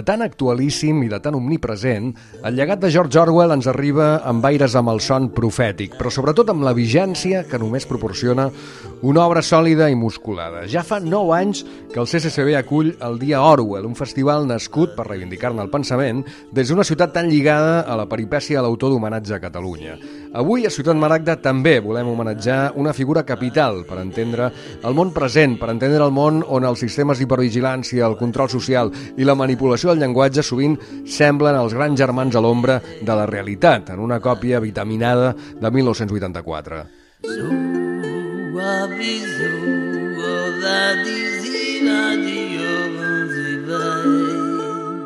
tan actualíssim i de tan omnipresent, el llegat de George Orwell ens arriba amb aires amb el son profètic, però sobretot amb la vigència que només proporciona una obra sòlida i musculada. Ja fa 9 anys que el CCCB acull el Dia Orwell, un festival nascut per reivindicar-ne el pensament des d'una ciutat tan lligada a la peripècia de l'autor d'homenatge a Catalunya. Avui, a Ciutat Maragda, també volem homenatjar una figura capital per entendre el món present, per entendre el món on els sistemes d'hipervigilància, el control social i la manipulació del llenguatge sovint semblen els grans germans a l'ombra de la realitat, en una còpia vitaminada de 1984.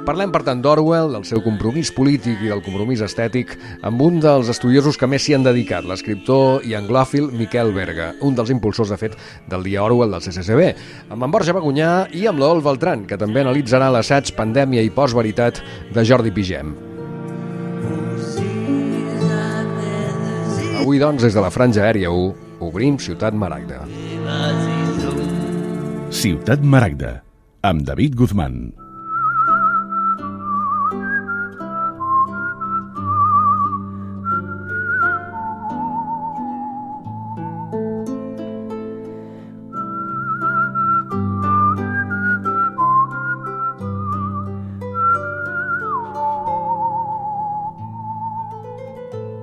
Parlem, per tant, d'Orwell, del seu compromís polític i del compromís estètic amb un dels estudiosos que més s'hi han dedicat, l'escriptor i anglòfil Miquel Berga, un dels impulsors, de fet, del Dia Orwell del CCCB, amb en Borja Bagunyà i amb l'Adolf Beltran, que també analitzarà l'assaig Pandèmia i postveritat de Jordi Pigem. Avui, doncs, des de la Franja Aèria 1, obrim Ciutat Maragda. Ciutat Maragda, amb David Guzmán.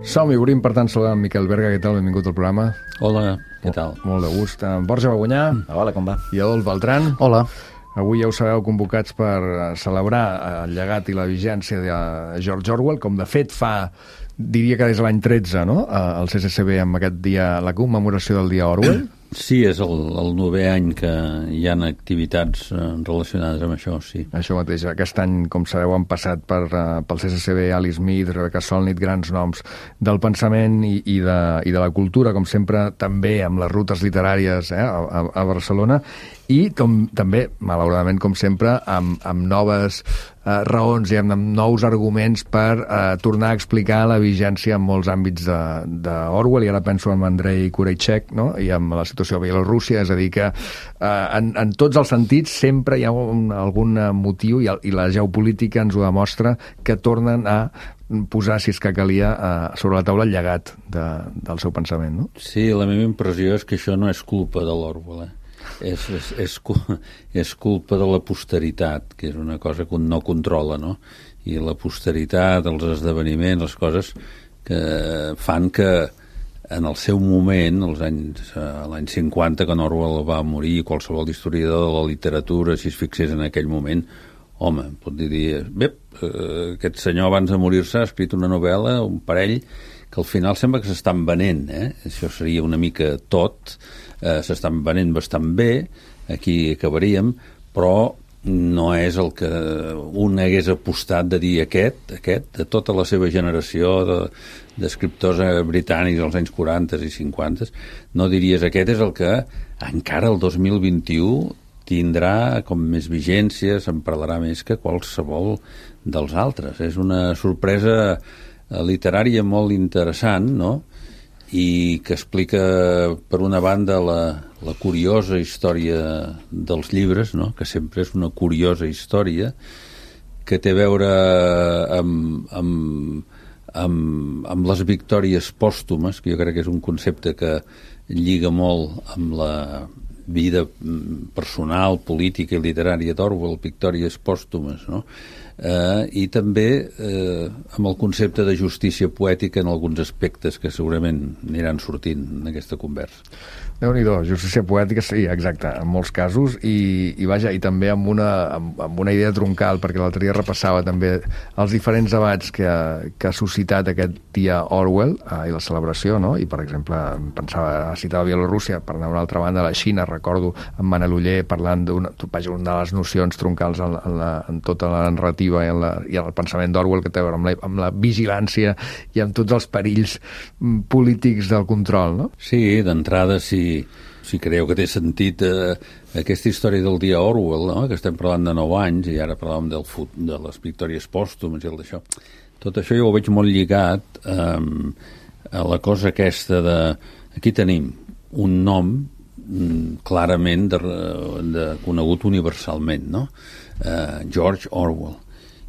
Som-hi, obrim, per tant, saludant en Miquel Berga. Què tal? Benvingut al programa. Hola, què tal? Molt de gust. En Borja Bagunyà. Hola, com va? I Adolf Beltran. Hola. Avui ja us sabeu convocats per celebrar el llegat i la vigència de George Orwell, com de fet fa, diria que des de l'any 13, no?, el CCCB amb aquest dia, la commemoració del Dia Orwell. Sí, és el 9è any que hi ha activitats relacionades amb això, sí. Això mateix. Aquest any, com sabeu, han passat pel CCCB Ali Smith, Rebecca Solnit, grans noms del pensament i de la cultura, com sempre, també amb les rutes literàries a Barcelona, i també, malauradament, com sempre, amb noves raons i amb nous arguments per tornar a explicar la vigència en molts àmbits d'Orwell, i ara penso en Andrei Kureychek, no?, i amb la situació a Bielorússia, és a dir que en tots els sentits sempre hi ha algun motiu, i la geopolítica ens ho demostra, que tornen a posar, si és que calia, sobre la taula el llegat del seu pensament, no? Sí, la meva impressió és que això no és culpa de l'Orwell, és culpa de la posteritat, que és una cosa que un no controla, no? I la posteritat, els esdeveniments, les coses que fan que en el seu moment, l'any 50, quan Orwell va morir, qualsevol historiador de la literatura, si es fixés en aquell moment, home, pot dir, bé, aquest senyor abans de morir-se ha escrit una novel·la, un parell, que al final sembla que s'estan venent, Això seria una mica tot, s'estan venent bastant bé, aquí acabaríem, però no és el que un hagués apostat de dir aquest, de tota la seva generació d'escriptors britànics als anys 40 i 50, no diries aquest és el que encara el 2021 tindrà com més vigència, se'n parlarà més que qualsevol dels altres. És una sorpresa literària molt interessant, no?, i que explica, per una banda, la curiosa història dels llibres, no?, que sempre és una curiosa història, que té a veure amb les victòries pòstumes, que jo crec que és un concepte que lliga molt amb la vida personal, política i literària d'Orwell, victòries pòstumes, no?, i també amb el concepte de justícia poètica en alguns aspectes que segurament aniran sortint en aquesta conversa. Déu-n'hi-do, justícia poètica, sí, exacte, en molts casos, i vaja, i també amb una idea troncal, perquè l'altre dia repassava també els diferents debats que ha suscitat aquest dia Orwell i la celebració, no?, i per exemple citava Bielorússia, per anar a una altra banda, la Xina, recordo en Manel Oller parlant d'una de les nocions troncals en tota la narrativa i el pensament d'Orwell, que té a veure amb la vigilància i amb tots els perills polítics del control, no? Sí, d'entrada, si creieu que té sentit aquesta història del dia Orwell, no?, que estem parlant de 9 anys i ara parlàvem de les victòries pòstumes i el d'això. Tot això jo ho veig molt lligat a la cosa aquesta de... Aquí tenim un nom clarament de conegut universalment, no? George Orwell.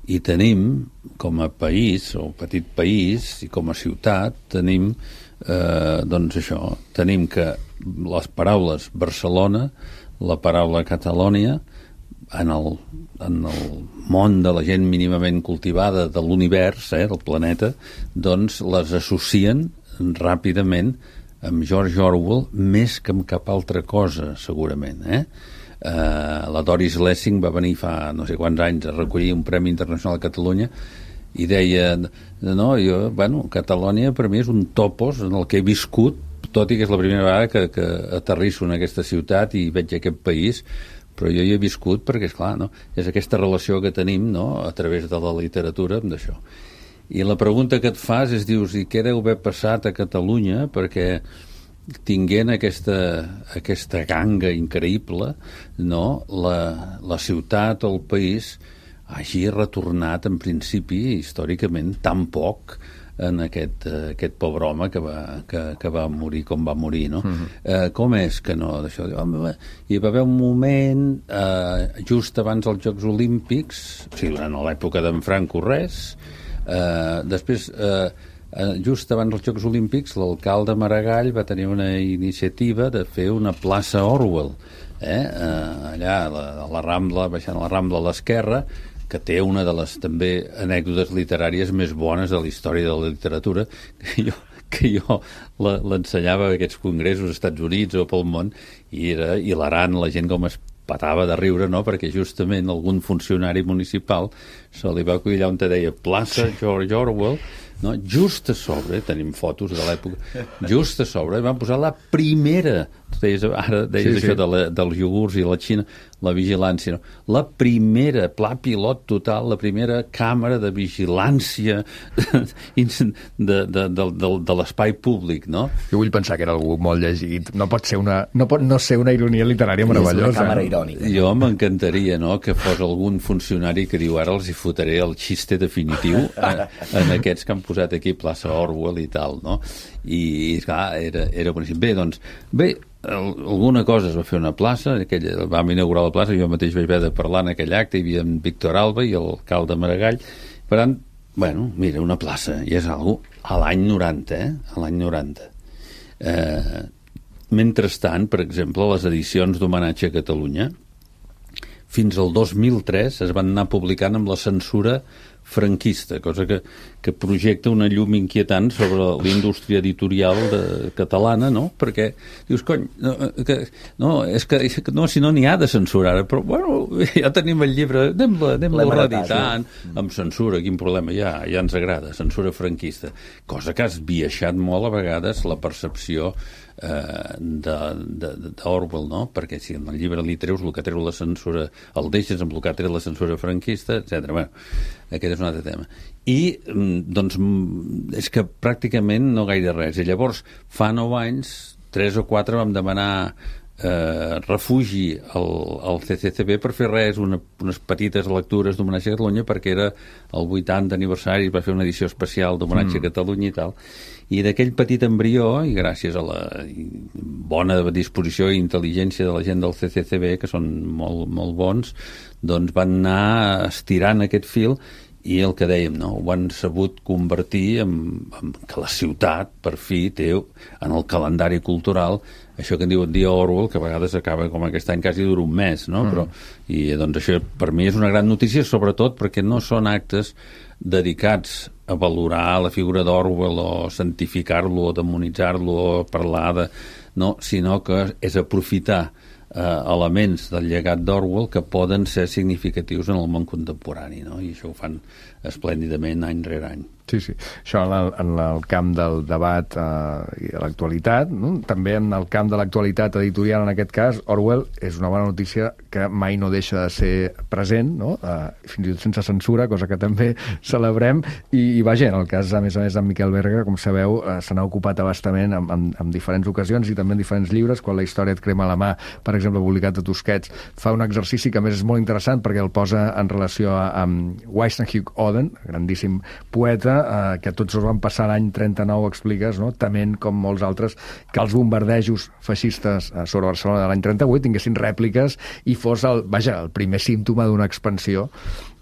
I tenim, com a país, o petit país, i com a ciutat, tenim, doncs això, tenim que les paraules Barcelona, la paraula Catalònia, en el món de la gent mínimament cultivada de l'univers, del planeta, doncs les associen ràpidament amb George Orwell més que amb cap altra cosa, segurament. La Doris Lessing va venir fa no sé quants anys a recollir un Premi Internacional a Catalunya i deia, Catalònia per mi és un topos en el que he viscut, tot i que és la primera vegada que aterrisso en aquesta ciutat i veig aquest país, però jo hi he viscut perquè, esclar, és aquesta relació que tenim a través de la literatura amb això. I la pregunta que et fas és, dius, i què deu haver passat a Catalunya perquè tinguent aquesta ganga increïble, la ciutat o el país hagi retornat en principi, històricament, tan poc en aquest pobre home que va morir com va morir, no? Com és que no? D'això, hi va haver un moment just abans dels Jocs Olímpics, o sigui, durant l'època d'en Franco res, després just abans dels Jocs Olímpics l'alcalde Maragall va tenir una iniciativa de fer una plaça Orwell, allà a la Rambla, baixant la Rambla a l'esquerra, que té una de les també anècdotes literàries més bones de la història de la literatura, que jo l'ensenyava a aquests congressos als Estats Units o pel món, i era hilarant la gent com es patava de riure, perquè justament algun funcionari municipal se li va acollir on te deia plaça George Orwell, just a sobre, tenim fotos de l'època, just a sobre van posar la primera, ara deies això dels iogurts i la Xina, la vigilància, la primera pla pilot total, la primera càmera de vigilància de l'espai públic, no? Jo vull pensar que era algú molt llegit, no pot no ser una ironia literària meravellosa. És una càmera irònica. Jo m'encantaria, que fos algun funcionari que diu ara els hi fotré el xiste definitiu en aquests que han posat aquí plaça Orwell i tal, no? I clar, era boníssim. Bé, alguna cosa es va fer una plaça, vam inaugurar la plaça, jo mateix vaig haver de parlar en aquell acte, hi havia en Víctor Alba i l'alcalde Maragall, per tant, mira, una plaça, i és algo a l'any 90, a l'any 90. Mentrestant, per exemple, les edicions d'homenatge a Catalunya, fins al 2003 es van anar publicant amb la censura franquista, cosa que projecta una llum inquietant sobre l'indústria editorial catalana, no? Perquè dius, és que si no n'hi ha de censurar, però ja tenim el llibre, anem-lo reeditant amb censura, quin problema ja ens agrada, censura franquista, cosa que has esbiaixat molt a vegades la percepció d'Orwell, no? Perquè si en el llibre li treus el que treu la censura, el deixes amb el que treu la censura franquista, etc. Aquest és un altre tema. I, és que pràcticament no gaire res. I llavors, fa 9 anys, 3 o 4 vam demanar refugi al CCCB per fer unes petites lectures d'homenatge a Catalunya, perquè era el 80 aniversari, es va fer una edició especial d'homenatge a Catalunya i tal. I d'aquell petit embrió, i gràcies a la bona disposició i intel·ligència de la gent del CCCB, que són molt, molt bons, doncs van anar estirant aquest fil i el que dèiem, ho han sabut convertir en que la ciutat, per fi, té en el calendari cultural això que en diuen dia Orwell, que a vegades acaba com aquest any quasi dura un mes, no? I doncs això per mi és una gran notícia, sobretot perquè no són actes dedicats a valorar la figura d'Orwell o santificar-lo o demonitzar-lo o parlar de... No, sinó que és aprofitar elements del llegat d'Orwell que poden ser significatius en el món contemporani, no? I això ho fan esplèndidament any rere any. Sí. Això en el camp del debat i de l'actualitat, no? També en el camp de l'actualitat editorial, en aquest cas, Orwell és una bona notícia que mai no deixa de ser present, no? Fins i tot sense censura, cosa que també celebrem, i vaja, en el cas, a més, d'en Miquel Berga, com sabeu, se n'ha ocupat abastament en diferents ocasions i també en diferents llibres. Quan la història et crema la mà, per exemple, publicat a Tusquets, fa un exercici que a més és molt interessant perquè el posa en relació amb Weissenhug Oden, grandíssim poeta, que tots els van passar l'any 39, expliques, no? Tement, com molts altres, que els bombardejos feixistes sobre Barcelona de l'any 38 tinguessin rèpliques i fos el primer símptoma d'una expansió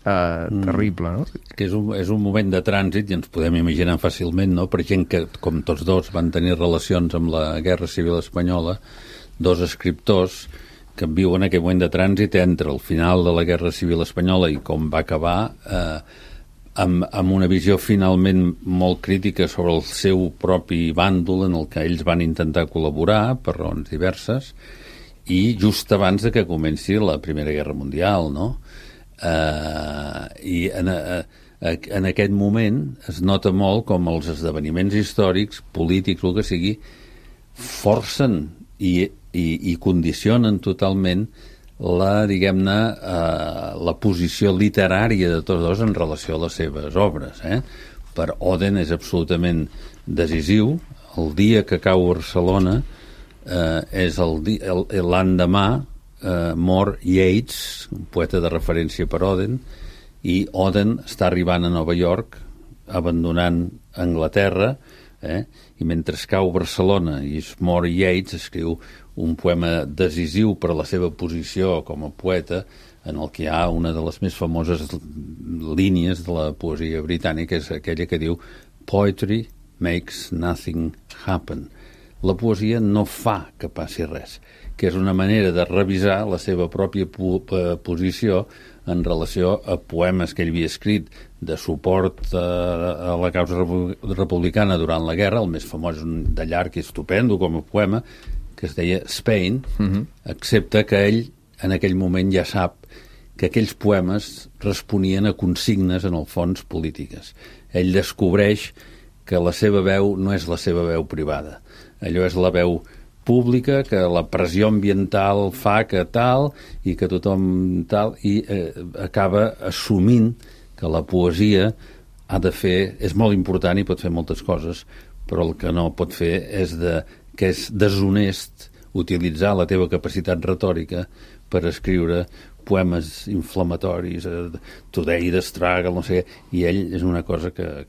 terrible, no? Que és un moment de trànsit, i ens podem imaginar fàcilment, no?, per gent que, com tots dos, van tenir relacions amb la Guerra Civil Espanyola, dos escriptors que viuen aquell moment de trànsit entre el final de la Guerra Civil Espanyola i com va acabar, amb una visió finalment molt crítica sobre el seu propi bàndol en el que ells van intentar col·laborar per raons diverses, i just abans de que comenci la Primera Guerra Mundial, no? I en aquest moment es nota molt com els esdeveniments històrics, polítics, el que sigui, forcen i condicionen totalment diguem-ne, la posició literària de tots dos en relació a les seves obres. Per Oden és absolutament decisiu. El dia que cau Barcelona és l'endemà mor Yeats, un poeta de referència per Oden, i Oden està arribant a Nova York, abandonant Anglaterra, i mentre cau Barcelona i mor Yeats, escriu un poema decisiu per a la seva posició com a poeta, en el que hi ha una de les més famoses línies de la poesia britànica, és aquella que diu "Poetry makes nothing happen". La poesia no fa que passi res, que és una manera de revisar la seva pròpia posició en relació a poemes que ell havia escrit de suport a la causa republicana durant la guerra. El més famós de llarg i estupendo com a poema, que es deia Spain, excepte que ell en aquell moment ja sap que aquells poemes responien a consignes, en el fons, polítiques. Ell descobreix que la seva veu no és la seva veu privada. Allò és la veu pública, que la pressió ambiental fa que tal, i que tothom tal, i acaba assumint que la poesia ha de fer, és molt important i pot fer moltes coses, però el que no pot fer és que és deshonest utilitzar la teva capacitat retòrica per escriure poemes inflamatoris, Today the Struggle, no sé què, i ell és una cosa que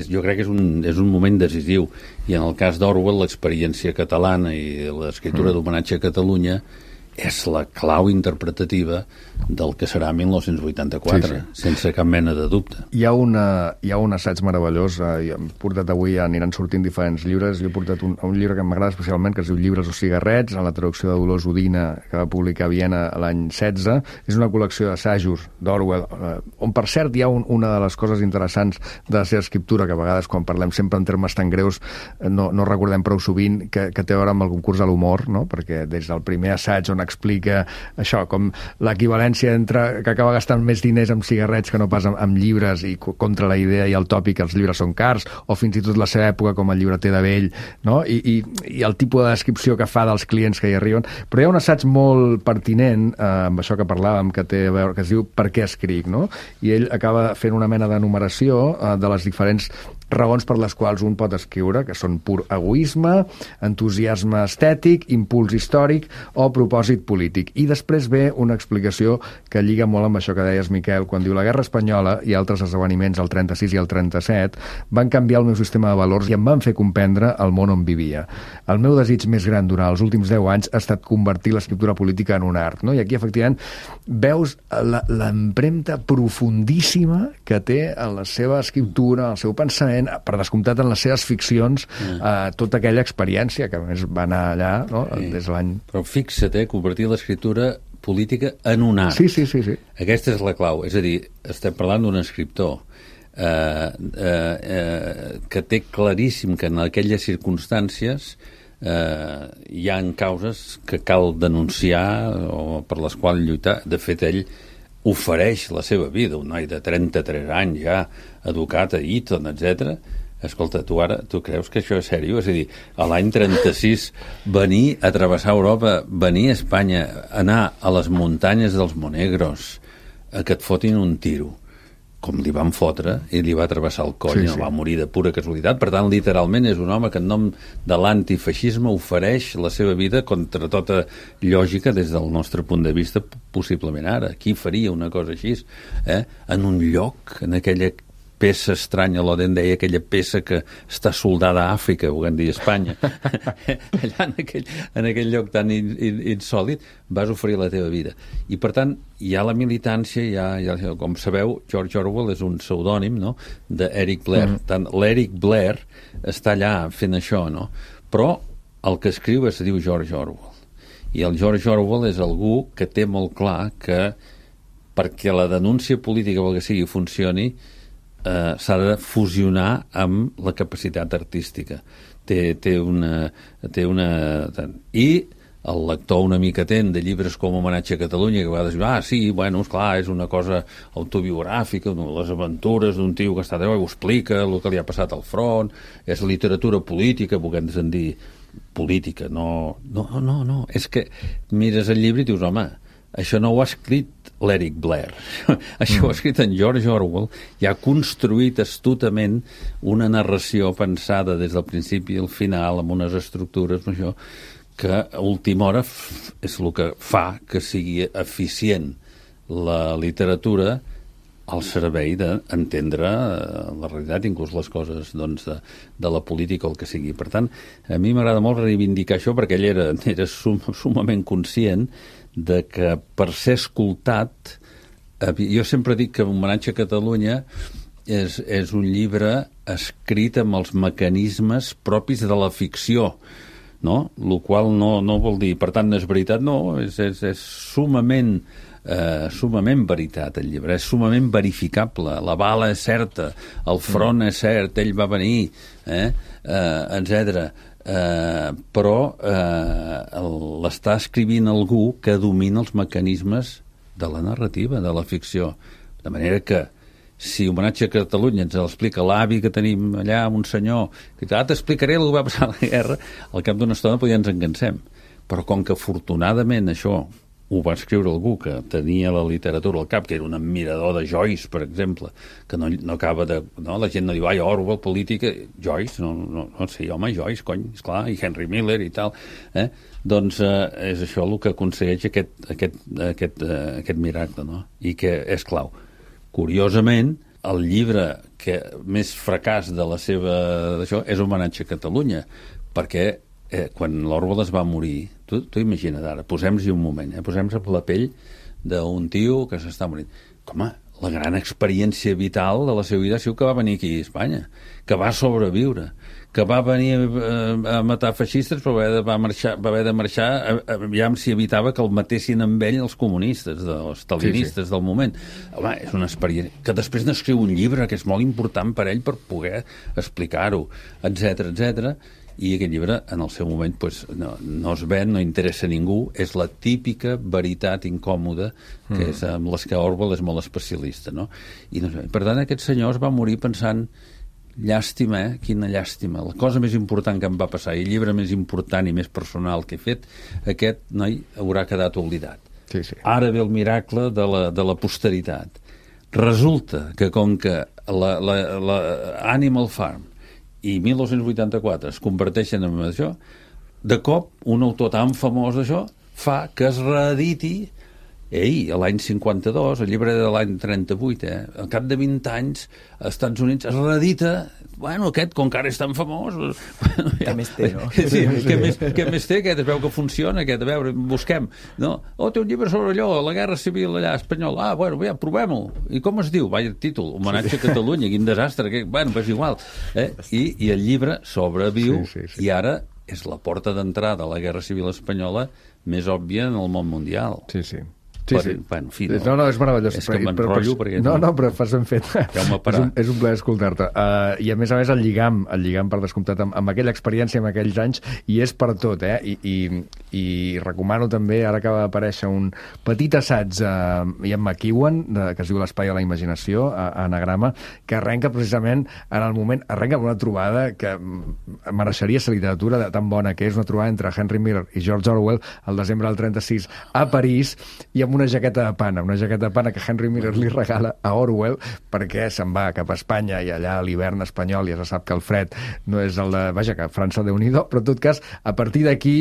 jo crec que és un moment decisiu, i en el cas d'Orwell l'experiència catalana i l'escriptura d'homenatge a Catalunya és la clau interpretativa del que serà 1984, sense cap mena de dubte. Hi ha un assaig meravellós, hem portat avui, aniran sortint diferents llibres, jo he portat un llibre que m'agrada especialment, que es diu Llibres o cigarrets, en la traducció de Dolors Udina, que va publicar a Viena l'any 16. És una col·lecció d'assajos d'Orwell, on per cert hi ha una de les coses interessants de la seva escriptura, que a vegades quan parlem sempre en termes tan greus no recordem prou sovint, que té a veure amb el concurs de l'humor, no? Perquè des del primer assaig on explica això, com l'equivalència entre que acaba gastant més diners amb cigarrets que no pas amb llibres, i contra la idea i el tòpic que els llibres són cars, o fins i tot la seva època com el llibreter de vell, no? I el tipus de descripció que fa dels clients que hi arriben. Però hi ha un assaig molt pertinent amb això que parlàvem, que té a veure, que es diu Per què escric, no? I ell acaba fent una mena d'enumeració de les diferents raons per les quals un pot escriure, que són pur egoisme, entusiasme estètic, impuls històric o propòsit polític. I després ve una explicació que lliga molt amb això que deies, Miquel, quan diu: la Guerra Espanyola i altres esdeveniments, el 36 i el 37, van canviar el meu sistema de valors i em van fer comprendre el món on vivia. El meu desig més gran durant els últims 10 anys ha estat convertir l'escriptura política en un art, no? I aquí, efectivament, veus l'empremta profundíssima que té en la seva escriptura, en el seu pensament, per descomptat en les seves ficcions, tota aquella experiència que a més va anar allà, no? Des de l'any... Però fixa't, convertir l'escriptura política en un art. Sí. Aquesta és la clau. És a dir, estem parlant d'un escriptor que té claríssim que en aquelles circumstàncies hi ha causes que cal denunciar o per les quals lluitar. De fet, ell ofereix la seva vida, un noi de 33 anys ja, educat a Eton, etc. Escolta, tu creus que això és sèrio? És a dir, a l'any 36 venir a travessar Europa, venir a Espanya, anar a les muntanyes dels Monegros, a que et fotin un tiro, com li van fotre, i li va travessar el coll, no va morir de pura casualitat. Per tant, literalment és un home que en nom de l'antifeixisme ofereix la seva vida contra tota lògica des del nostre punt de vista, possiblement ara. Qui faria una cosa així? En un lloc, en aquella peça estranya, l'Oden deia aquella peça que està soldada a Àfrica, volem dir Espanya, allà en aquell lloc tan insòlid, vas oferir la teva vida. I, per tant, hi ha la militància, com sabeu, George Orwell és un pseudònim, no?, d'Eric Blair. Tant l'Eric Blair està allà fent això, no? Però el que escriu es diu George Orwell. I el George Orwell és algú que té molt clar que perquè la denúncia política o el que sigui funcioni s'ha de fusionar amb la capacitat artística. Té una... I el lector una mica atent de llibres com Homenatge a Catalunya, que va dir, sí, bueno, esclar, és una cosa autobiogràfica, les aventures d'un tio que està allà, ho explica, el que li ha passat al front, és literatura política, volem dir política, no. És que mires el llibre i dius, home, això no ho ha escrit l'Eric Blair. Això ho ha escrit en George Orwell i ha construït astutament una narració pensada des del principi al final, amb unes estructures, això, que a última hora és el que fa que sigui eficient la literatura al servei d'entendre la realitat, inclús les coses de la política o el que sigui. Per tant, a mi m'agrada molt reivindicar això perquè ell era sumament conscient de que per ser escoltat, jo sempre dic que Homenatge a Catalunya és un llibre escrit amb els mecanismes propis de la ficció, no? El qual no vol dir, per tant, no és veritat, no, és sumament veritat el llibre, és sumament verificable, la bala és certa, el front és cert, ell va venir, etc. Però l'està escrivint algú que domina els mecanismes de la narrativa, de la ficció, de manera que si Homenatge a Catalunya ens l'explica l'avi que tenim allà, un senyor que t'explicaré el que va passar a la guerra, al cap d'una estona ja ens encansem, però com que afortunadament això ho va escriure algú que tenia la literatura al cap, que era un admirador de Joyce, per exemple, que no acaba de... No? La gent no diu, Orwell, política... Joyce, no sé, home, Joyce, cony, esclar, i Henry Miller i tal. Doncs és això el que aconsegueix aquest miracle, no? I que és clau. Curiosament, el llibre que més fracàs de la seva... d'això és Homenatge a Catalunya, perquè quan l'Orwell es va morir, tu imagina't ara, posem-hi un moment, posem-nos a la pell d'un tio que s'està morint. Home, la gran experiència vital de la seva vida ha sigut que va venir aquí a Espanya, que va sobreviure, que va venir a matar feixistes però va haver de marxar aviam si evitava que el matessin amb ell els comunistes, els stalinistes del moment. Home, és una experiència que després n'escriu un llibre que és molt important per ell per poder explicar-ho, etc. I aquest llibre, en el seu moment, no es ven, no interessa a ningú, és la típica veritat incòmoda, que és amb les que Orwell és molt especialista, no? Per tant, aquest senyor es va morir pensant, llàstima, quina llàstima, la cosa més important que em va passar, i el llibre més important i més personal que he fet, aquest noi haurà quedat oblidat. Sí. Ara ve el miracle de la posteritat. Resulta que com que la Animal Farm i 1984 es converteixen en això, de cop un autor tan famós d'això fa que es reediti a l'any 52, el llibre de l'any 38, al cap de 20 anys als Estats Units es reedita, aquest, com que ara és tan famós... Què més té, no? Sí, què més té aquest? Es veu que funciona aquest, a veure, busquem. No? Té un llibre sobre allò, la guerra civil allà espanyola. Provem-ho. I com es diu? Vaya títol, Homenatge a Catalunya, quin desastre. És igual. I el llibre sobreviu i ara és la porta d'entrada a la guerra civil espanyola més òbvia en el món mundial. Sí. En fi, no, és meravellós. És que m'enrotllo perquè... No, però fas ben fet. És un plaer escoltar-te. I a més, el lligam per descomptat amb aquella experiència, amb aquells anys, i és per tot, I recomano també, ara acaba d'aparèixer un petit assaig a Ian McEwan, que es diu L'espai a la imaginació, a Anagrama, que arrenca precisament en el moment, arrenca amb una trobada que mereixeria ser literatura tan bona que és, una trobada entre Henry Miller i George Orwell el desembre del 36 a París, i amb amb una jaqueta de pana que Henry Miller li regala a Orwell perquè se'n va cap a Espanya i allà a l'hivern espanyol ja se sap que el fred no és el de... Vaja, que França Déu-n'hi-do, però en tot cas, a partir d'aquí,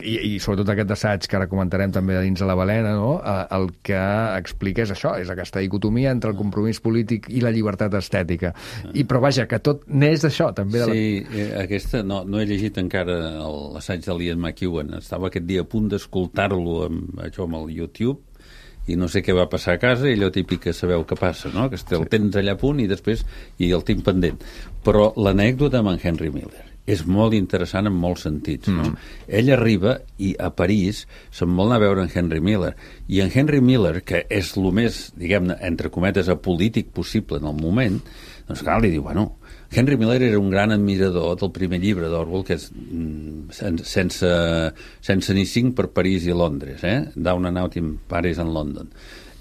i sobretot aquest assaig que ara comentarem també de dins de la balena, no? El que explica és això, és aquesta dicotomia entre el compromís polític i la llibertat estètica. Però vaja, que tot n'és d'això, també. Sí, aquesta no he llegit encara l'assaig de l'Ian McEwan. Estava aquest dia a punt d'escoltar-lo amb el YouTube i no sé què va passar a casa, i allò típic que sabeu què passa, no? Que el tens allà a punt i després el tinc pendent. Però l'anècdota amb en Henry Miller és molt interessant en molts sentits, no? Ell arriba i a París se'n vol anar a veure en Henry Miller, i en Henry Miller, que és el més, diguem-ne, entre cometes, apolític possible en el moment, doncs clar, li diu, bueno, Henry Miller era un gran admirador del primer llibre d'Orwell, que és sense ni 5 per París i Londres, Down and Out in Paris and London.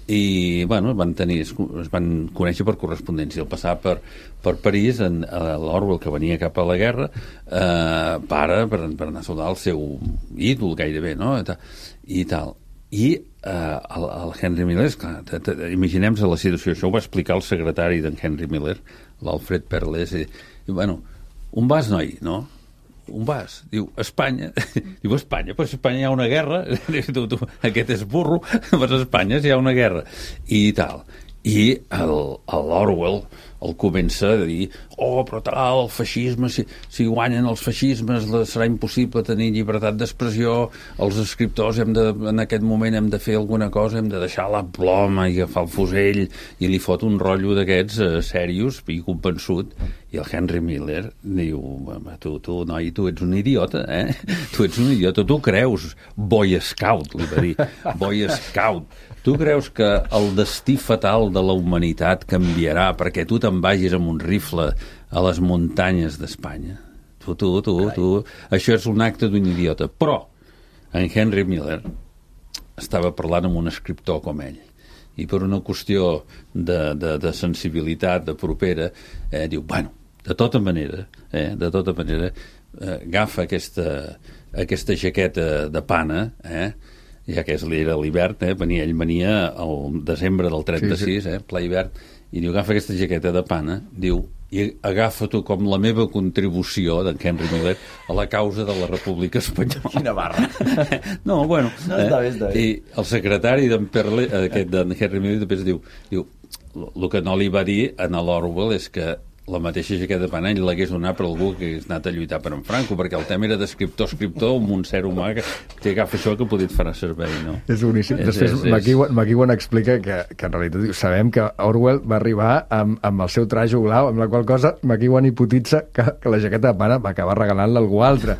I, bueno, es van conèixer per correspondència. Al passar per París, l'Orwell, que venia cap a la guerra, per anar a saludar el seu ídol, gairebé, no? I tal. I el Henry Miller, esclar, imaginem-nos la situació. Això ho va explicar el secretari d'en Henry Miller, l'Alfred Perles, i bueno, on vas, noi? No? On vas? Diu, Espanya. Diu, Espanya? Però a Espanya hi ha una guerra. Tu, aquest és burro. Vas a Espanya si hi ha una guerra. I tal. I l'Orwell el comença a dir, però tal, el feixisme, si guanyen els feixismes serà impossible tenir llibertat d'expressió, els escriptors en aquest moment hem de fer alguna cosa, hem de deixar la ploma i agafar el fusell, i li fot un rotllo d'aquests serios i convençut, i el Henry Miller diu, tu, noi, tu ets un idiota, tu ets un idiota, tu creus, Boy Scout, li va dir, Boy Scout, tu creus que el destí fatal de la humanitat canviarà perquè tu te'n vagis amb un rifle a les muntanyes d'Espanya? Tu. Això és un acte d'un idiota. Però en Henry Miller estava parlant amb un escriptor com ell. I per una qüestió de sensibilitat, de propera, diu, bueno, de tota manera, agafa aquesta jaqueta de pana, ja que era l'hivern, ell venia al desembre del 36, ple hivern, i diu, agafa aquesta jaqueta de pana, diu, i agafa-t'ho com la meva contribució d'en Henry Miller a la causa de la República Espanyola. Quina barra. No, bueno. No, està bé. I el secretari d'en Henry Miller després diu, el que no li va dir a l'Orwell és que la mateixa jaqueta de pana ell l'hagués donat per algú que hagués anat a lluitar per en Franco, perquè el tema era d'escriptor amb un ser humà que agafa això que podia fer servei, no? És boníssim. Després McEwan explica que en realitat sabem que Orwell va arribar amb el seu trajo blau, amb la qual cosa McEwan hipotitza que la jaqueta de pana va acabar regalant-la a algú altre.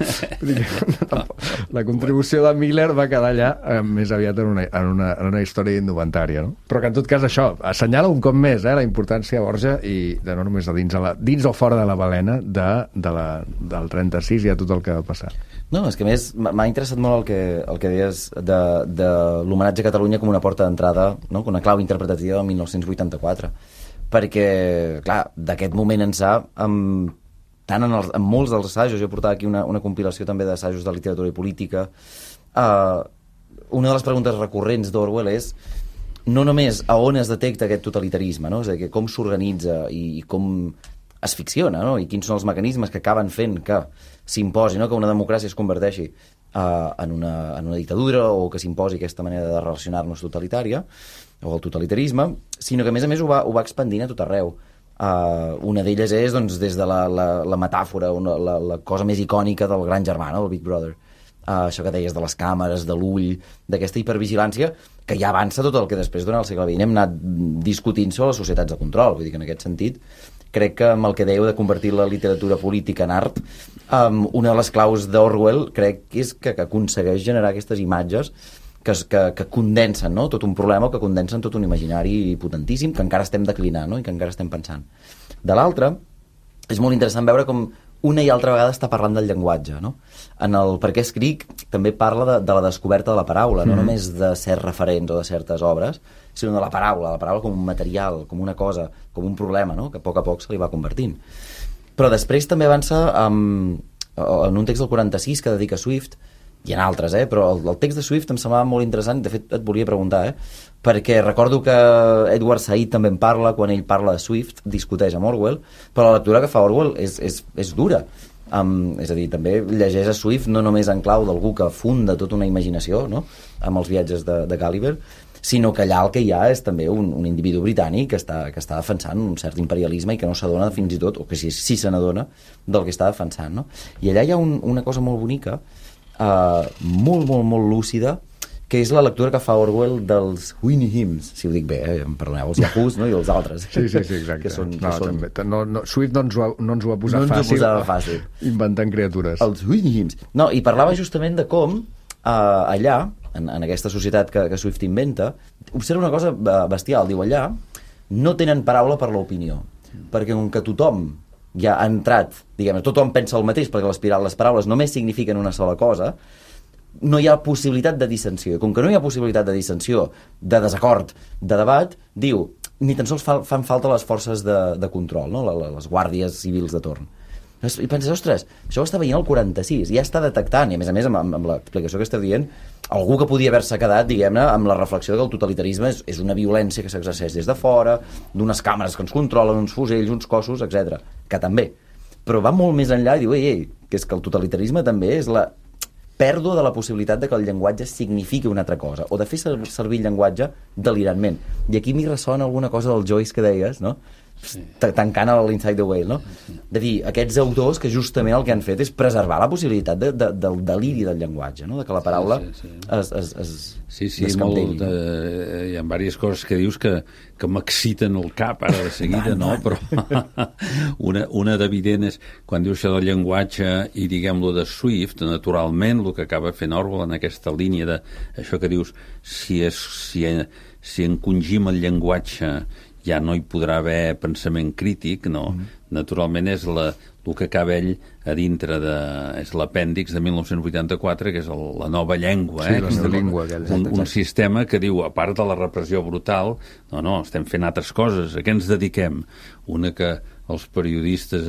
La contribució de Miller va quedar allà més aviat en una història indumentària, no? Però que en tot cas això assenyala un cop més la importància de Borja i de no només de dins o fora de la balena del 36 i a tot el que va passar. No, és que a més m'ha interessat molt el que deies de l'homenatge a Catalunya com una porta d'entrada, no? Una clau interpretativa del 1984, perquè clar, d'aquest moment ençà en molts dels assajos, jo portava aquí una compilació també d'assajos de literatura i política, una de les preguntes recurrents d'Orwell és no només a on es detecta aquest totalitarisme, no? És a dir, com s'organitza i com es ficciona, no? I quins són els mecanismes que acaben fent que s'imposi, no? Que una democràcia es converteixi en una dictadura o que s'imposi aquesta manera de relacionar-nos totalitària o el totalitarisme, sinó que a més ho va expandint a tot arreu. Una d'elles és doncs, des de la metàfora, la cosa més icònica del gran germà, no? El Big Brother. Això que deies de les càmeres, de l'ull, d'aquesta hipervigilància que ja avança tot el que després durant el segle XX hem anat discutint sobre les societats de control. Vull dir que en aquest sentit crec que amb el que dèieu de convertir la literatura política en art, una de les claus d'Orwell crec que és que aconsegueix generar aquestes imatges que condensen, no? Tot un problema, que condensen tot un imaginari potentíssim que encara estem declinant, no? I que encara estem pensant. De l'altra, és molt interessant veure com una i altra vegada està parlant del llenguatge, no? En el Per què escric també parla de la descoberta de la paraula, no només de certs referents o de certes obres, sinó de la paraula com un material, com una cosa, com un problema, no? Que a poc se li va convertint. Però després també avança en un text del 46 que dedica a Swift, hi ha altres, però el text de Swift em semblava molt interessant, de fet et volia preguntar, perquè recordo que Edward Said també en parla, quan ell parla de Swift, discuteix amb Orwell, però la lectura que fa Orwell és dura. És a dir, també llegeix a Swift no només en clau d'algú que funda tota una imaginació, no?, amb els viatges de Gulliver, sinó que allà el que hi ha és també un individu britànic que està defensant un cert imperialisme i que no s'adona fins i tot, o que sí se n'adona del que està defensant, no? I allà hi ha una cosa molt bonica, molt, molt, molt lúcida, que és la lectura que fa Orwell dels Whitney Hymns, si ho dic bé, em perdoneu, els Yahoos, no?, i els altres. Sí, exacte. Que són... Swift no ens ho va posar fàcil, inventant criatures. Els Whitney Hymns. No, i parlava justament de com allà, en aquesta societat que Swift inventa, observa una cosa bestial, diu allà, no tenen paraula per l'opinió, perquè com que tothom ja ha entrat, diguem, tothom pensa el mateix, perquè les paraules només signifiquen una sola cosa, no hi ha possibilitat de dissensió. I com que no hi ha possibilitat de dissensió, de desacord, de debat, diu, ni tan sols fan falta les forces de control, no?, les guàrdies civils de torn. I penses, ostres, això ho està veient el 46, ja està detectant, i a més, amb l'explicació que esteu dient, algú que podia haver-se quedat, diguem-ne, amb la reflexió que el totalitarisme és una violència que s'exerceix des de fora, d'unes càmeres que ens controlen, uns fusells, uns cossos, etc. Que també. Però va molt més enllà i diu, que és que el totalitarisme també és la pèrdua de la possibilitat de que el llenguatge signifiqui una altra cosa, o de fer servir el llenguatge delirantment. I aquí m'hi ressona alguna cosa del Joyce que deies, no?, tancant l'Inside the Whale, no? De dir, aquests autors que justament el que han fet és preservar la possibilitat del deliri del llenguatge, no?, de que la paraula es descapdelli. Hi ha diverses coses que dius que m'exciten el cap ara de seguida, no? Però una d'evident és quan dius això del llenguatge i diguem-lo de Swift, naturalment el que acaba fent Orwell en aquesta línia de això que dius, si encongim el llenguatge ja no hi podrà haver pensament crític, no. Naturalment és el que acaba ell a dintre és l'apèndix de 1984, que és la nova llengua. Sí, la nova llengua. Un sistema que diu, a part de la repressió brutal, no, estem fent altres coses. A què ens dediquem? Una que els periodistes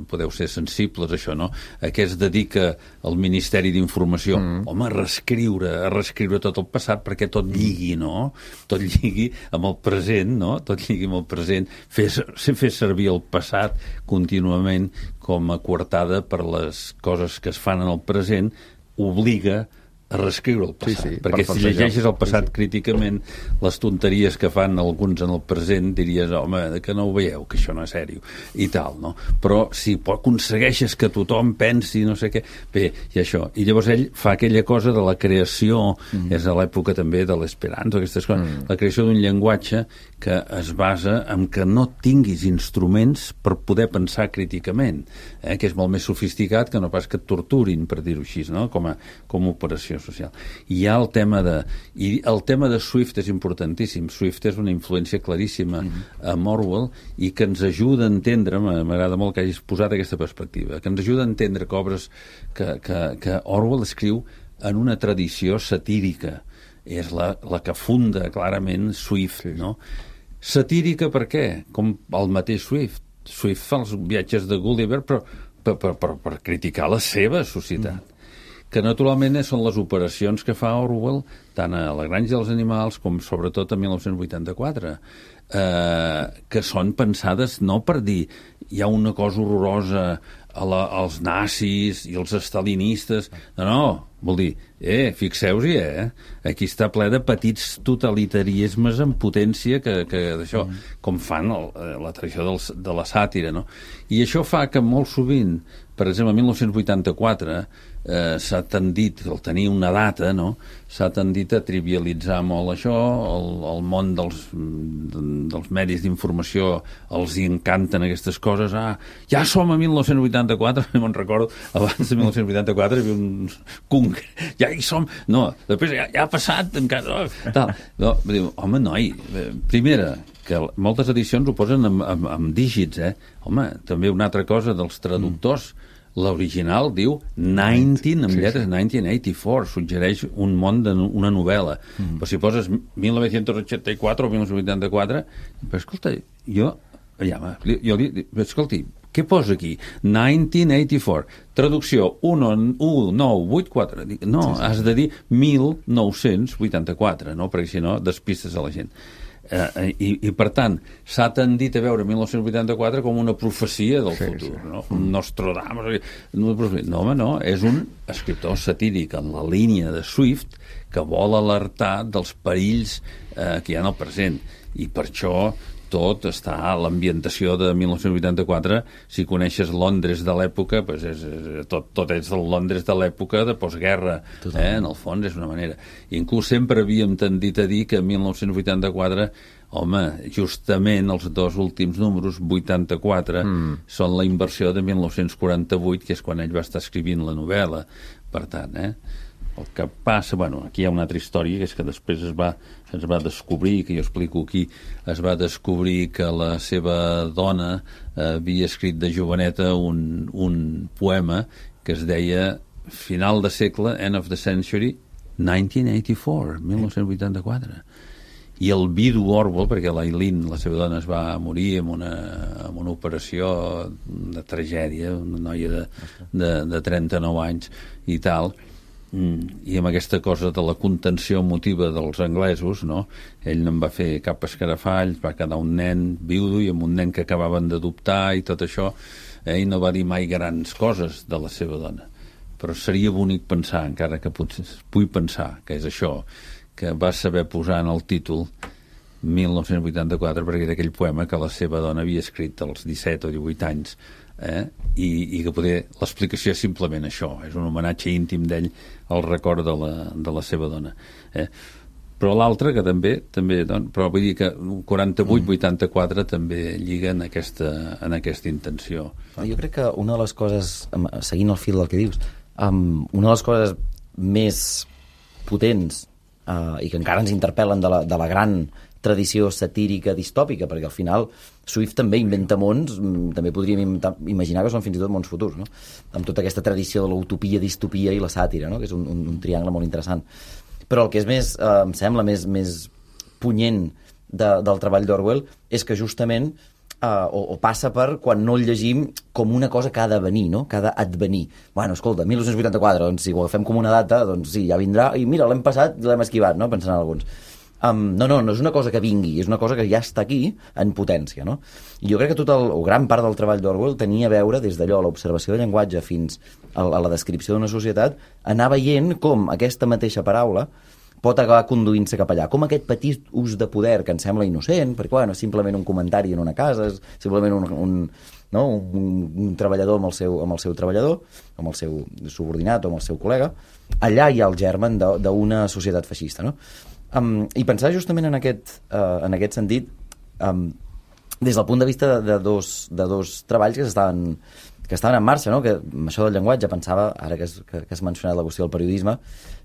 podeu ser sensibles a això, no? A què es dedica el Ministeri d'Informació? Home, a reescriure tot el passat perquè tot lligui, no? Tot lligui amb el present, no? Tot lligui amb el present. Fer servir el passat contínuament com a coartada per les coses que es fan en el present obliga a reescriure el passat, perquè si llegeixes el passat críticament, les tonteries que fan alguns en el present diries, home, que no ho veieu, que això no és sèrio i tal, no? Però si aconsegueixes que tothom pensi no sé què, bé, i això, i llavors ell fa aquella cosa de la creació, és a l'època també de l'esperanto, aquestes coses, la creació d'un llenguatge que es basa en que no tinguis instruments per poder pensar críticament, que és molt més sofisticat que no pas que et torturin, per dir-ho així, no? Com a operació social. I hi ha el tema de Swift és importantíssim. Swift és una influència claríssima amb Orwell i que ens ajuda a entendre, m'agrada molt que hagis posat aquesta perspectiva, que ens ajuda a entendre que obres que Orwell escriu en una tradició satírica. És la que funda clarament Swift, no? Satírica per què? Com el mateix Swift. Swift fa els viatges de Gulliver però per criticar la seva societat. Que naturalment són les operacions que fa Orwell tant a La granja dels animals com sobretot a 1984, que són pensades no per dir hi ha una cosa horrorosa als nazis i els stalinistes, no, vol dir, fixeu-hi, aquí està ple de petits totalitarismes en potència que d'això, com fan la tradició de la sàtira, no? I això fa que molt sovint, per exemple, en 1984 s'ha tendit, al tenir una data, no?, s'ha tendit a trivialitzar molt això, el món dels medis d'informació els hi encanten aquestes coses, ja som a 1984, me'n recordo, abans de 1984 hi havia un congre, ja hi som, no, després ja ha passat, encara, tal, no, diu, home, noi, primera, que moltes edicions ho posen amb dígits, home, també una altra cosa dels traductors, l'original diu 1984, suggereix un món d'una novel·la. Però si poses 1984 o 1984, però escolta, escolti, Què posa aquí? 1984. Traducció 1984. Dic, no, sí. Has de dir 1984, no? Perquè si no despistes a la gent. I per tant, s'ha tendit a veure 1984 com una profecia del futur, no? Un Nostradamus. No, home, no, és un escriptor satíric en la línia de Swift que vol alertar dels perills que hi ha en el present, i per això tot està a l'ambientació de 1984. Si coneixes Londres de l'època, pues tot és el Londres de l'època de postguerra, en el fons és una manera. I inclús sempre havíem tendit a dir que 1984, home, justament els dos últims números, 84, són la inversió de 1948, que és quan ell va estar escrivint la novel·la. Per tant, el que passa, bueno, aquí hi ha una altra història, que és que després es va descobrir, que jo explico aquí, es va descobrir que la seva dona havia escrit de joveneta un poema que es deia Final de segle, End of the Century, 1984, 1984. I el vidu Orwell, perquè l'Aileen, la seva dona, es va morir amb una operació de tragèdia, una noia de 39 anys i tal, i amb aquesta cosa de la contenció emotiva dels anglesos, no? Ell no en va fer cap escarafall, va quedar un nen viudo i amb un nen que acabaven d'adoptar i tot això. Ell no va dir mai grans coses de la seva dona, però seria bonic pensar, encara que potser vull pensar que és això, que va saber posar en el títol 1984 perquè era aquell poema que la seva dona havia escrit als 17 o 18 anys, i que poder l'explicació és simplement això, és un homenatge íntim d'ell al record de la seva dona, però l'altre que també doncs, però vull dir que 48-84 també lliga en aquesta intenció. Jo crec que una de les coses, seguint el fil del que dius, una de les coses més potents i que encara ens interpel·len de la gran tradició satírica distòpica, perquè al final Swift també inventa mons, també podríem imaginar que són fins i tot mons futurs, no? Amb tota aquesta tradició de l'utopia, distopia i la sàtira, no? Que és un triangle molt interessant. Però el que és més, em sembla, més punyent del treball d'Orwell és que justament o passa per quan no el llegim com una cosa que ha de venir, no? Que ha d'advenir. Bueno, escolta, 1984, doncs si ho agafem com una data, doncs sí, ja vindrà, i mira, l'hem passat i l'hem esquivat, no? Pensant en alguns. No és una cosa que vingui, és una cosa que ja està aquí en potència, no? I jo crec que gran part del treball d'Orwell tenia a veure, des d'allò, l'observació de llenguatge fins a la descripció d'una societat, anar veient com aquesta mateixa paraula pot acabar conduint-se cap allà, com aquest petit ús de poder que ens sembla innocent, perquè bueno, és simplement un comentari en una casa, és simplement un treballador amb el seu treballador, amb el seu subordinat o amb el seu col·lega, allà hi ha el germen d'una societat feixista, no? I pensar justament en aquest sentit, des del punt de vista de dos treballs que estaven en marxa, no? Que amb això del llenguatge pensava, ara que has mencionat la qüestió del periodisme,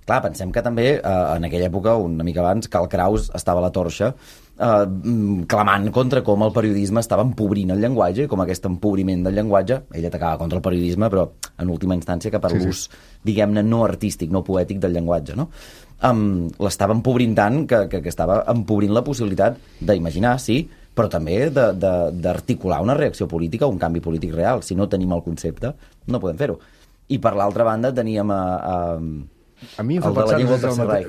clar, pensem que també en aquella època, una mica abans, Karl Kraus estava a la torxa clamant contra com el periodisme estava empobrint el llenguatge i com aquest empobriment del llenguatge, ell atacava contra el periodisme, però en última instància cap a l'ús, diguem-ne, no artístic, no poètic del llenguatge, no? L'estava empobrint tant que estava empobrint la possibilitat d'imaginar, sí, però també d'articular una reacció política, un canvi polític real. Si no tenim el concepte, no podem fer-ho. I per l'altra banda teníem a mi em fa pensar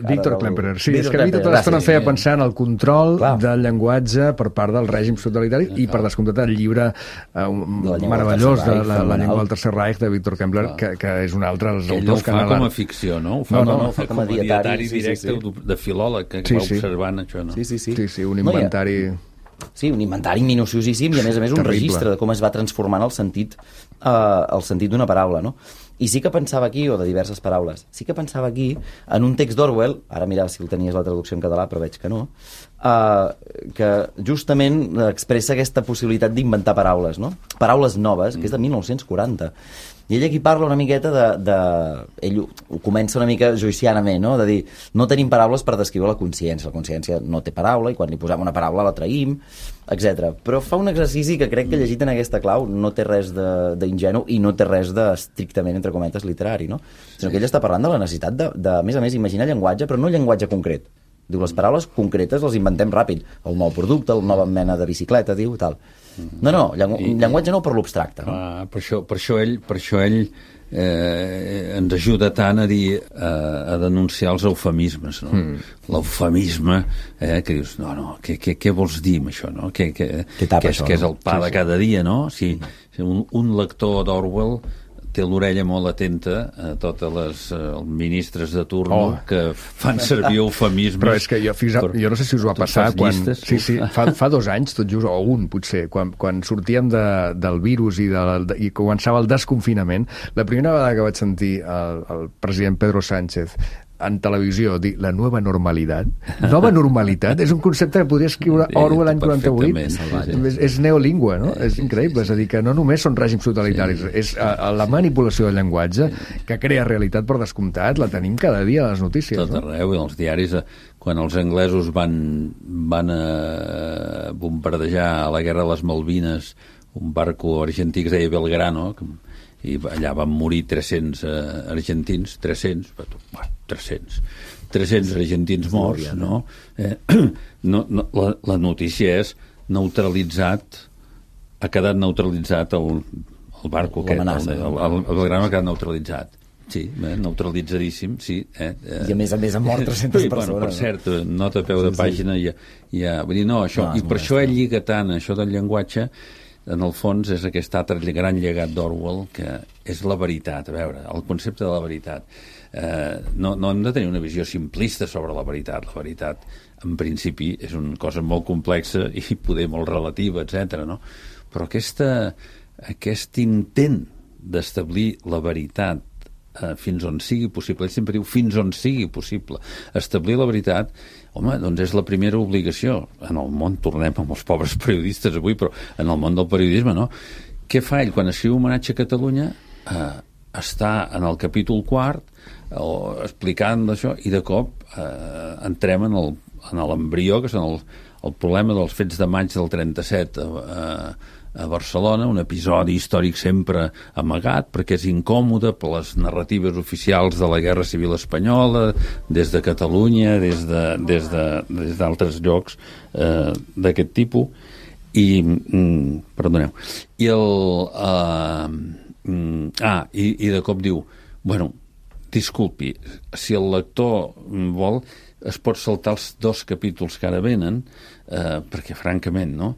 Víctor Klemperer. Sí, és que a mi tota l'estona em feia pensar en el control del llenguatge per part del règim totalitari i per descomptat el llibre meravellós de la llengua del Tercer Reich de Víctor Klemperer, que és un altre dels autors que... Ell ho fa com a ficció, no? Ho fa com a dietari directe de filòleg que va observant això, no? Sí, un inventari... Sí, un inventari minuciosíssim i a més un registre de com es va transformant el sentit d'una paraula, no? I sí que pensava aquí, o de diverses paraules, sí que pensava aquí en un text d'Orwell, ara mira si el tenies la traducció en català, però veig que no, que justament expressa aquesta possibilitat d'inventar paraules, no? Paraules noves, que és de 1940. I ell aquí parla una miqueta ell ho comença una mica joycianament, no? De dir, no tenim paraules per descriure la consciència no té paraula i quan li posem una paraula la traïm, etc. Però fa un exercici que crec que llegit en aquesta clau no té res d'ingenu i no té res d'estrictament, entre cometes, literari, no? Sinó que ell està parlant de la necessitat de a més, imaginar llenguatge, però no llenguatge concret. Diu, les paraules concretes les inventem ràpid. El nou producte, la nova mena de bicicleta, diu, tal. No, llenguatge no per l'abstracte. No? Per això ell ens ajuda tant a dir, a denunciar els eufemismes, no? L'eufemisme, que dius, què vols dir amb això, no? Què és el pa de cada dia, no? Si un lector d'Orwell té l'orella molt atenta a totes les ministres de turno que fan servir eufemismes. Però és que jo no sé si us ho ha passat quan... Fa 2 anys, tot just, o un potser, quan sortíem del virus i començava el desconfinament, la primera vegada que vaig sentir el president Pedro Sánchez en televisió dir la nova normalitat. Nova normalitat és un concepte que podria escriure Orwell l'any 48. És neolingüe, no? És increïble. És a dir, que no només són règims totalitaris, és la manipulació del llenguatge que crea realitat per descomptat, la tenim cada dia a les notícies. Tot arreu, i els diaris, quan els anglesos van bombardejar a la guerra de les Malvines un barco argentí que es deia Belgrano, i allà van morir 300 argentins, 300 argentins morts, no? La notícia és neutralitzat, ha quedat neutralitzat el barco aquest, el Belgrano ha quedat neutralitzat. Sí, neutralitzadíssim, sí. I a més han mort 300 persones. Per cert, nota a peu de pàgina, vull dir, això, i per això ell lliga tant, això del llenguatge, en el fons és aquest altre gran llegat d'Orwell, que és la veritat. A veure, el concepte de la veritat. No hem de tenir una visió simplista sobre la veritat. La veritat, en principi, és una cosa molt complexa i poder molt relativa, etc. No? Però aquest intent d'establir la veritat fins on sigui possible, ell sempre diu fins on sigui possible, establir la veritat, home, doncs és la primera obligació en el món. Tornem amb els pobres periodistes avui, però en el món del periodisme, no? Què fa ell quan escriu Homenatge a Catalunya? Està en el capítol 4 explicant això, i de cop entrem en l'embrió, que són el problema dels fets de maig del 37 a Barcelona, un episodi històric sempre amagat, perquè és incòmode per les narratives oficials de la Guerra Civil Espanyola, des de Catalunya, des d'altres llocs d'aquest tipus, i perdoneu, i de cop diu, bueno, disculpi, si el lector vol, es pot saltar els 2 capítols que ara venen, perquè francament, no?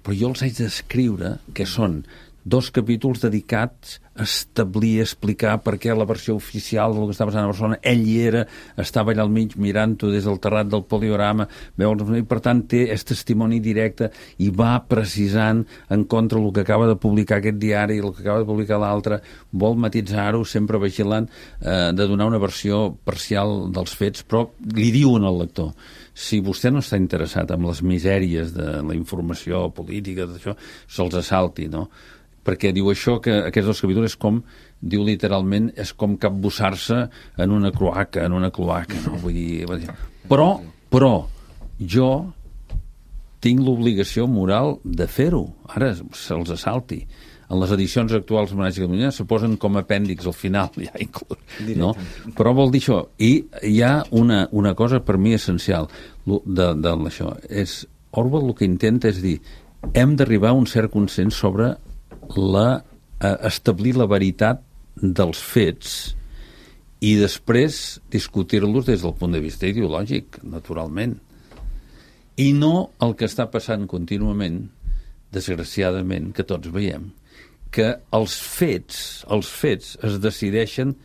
Però jo els haig d'escriure, que són 2 capítols dedicats a establir, a explicar per què la versió oficial del que està passant a Barcelona, ell hi era, estava allà al mig mirant-ho des del terrat del poliorama, i per tant té aquest testimoni directe i va precisant en contra del que acaba de publicar aquest diari i el que acaba de publicar l'altre, vol matisar-ho, sempre vigilant de donar una versió parcial dels fets, però li diuen al lector, si vostè no està interessat en les misèries de la informació política, d'això, se'ls assalti, no? Perquè diu això, que aquests 2 capítols és com, diu literalment, és com capbussar-se en una cloaca, no? Vull dir, però jo tinc l'obligació moral de fer-ho. Ara se'ls assalti. En les edicions actuals de Homenatge a Catalunya se posen com a apèndix al final, ja inclús, no? Però vol dir això. I hi ha una cosa per mi essencial d'això. Orwell el que intenta és dir, hem d'arribar a un cert consens sobre establir la veritat dels fets i després discutir-los des del punt de vista ideològic, naturalment. I no el que està passant contínuament, desgraciadament, que tots veiem, que els fets es decideixen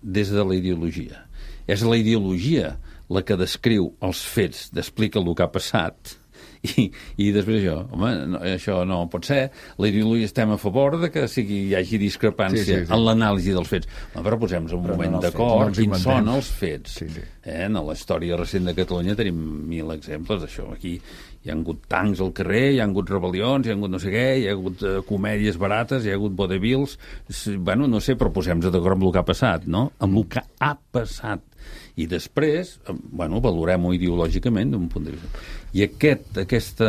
des de la ideologia. És la ideologia la que descriu els fets, explica el que ha passat, i després això no pot ser. La ideologia estem a favor de que hi hagi discrepància en l'anàlisi dels fets. Però posem-nos un moment d'acord, quins són els fets. En la història recent de Catalunya tenim 1000 exemples d'això. Aquí hi ha hagut tancs al carrer, hi ha hagut rebel·lions, hi ha hagut no sé què, hi ha hagut comèdies barates, hi ha hagut vodevils, no sé, però posem-nos d'acord amb el que ha passat, no? Amb el que ha passat. I després, valorem-ho ideològicament d'un punt de vista. I aquest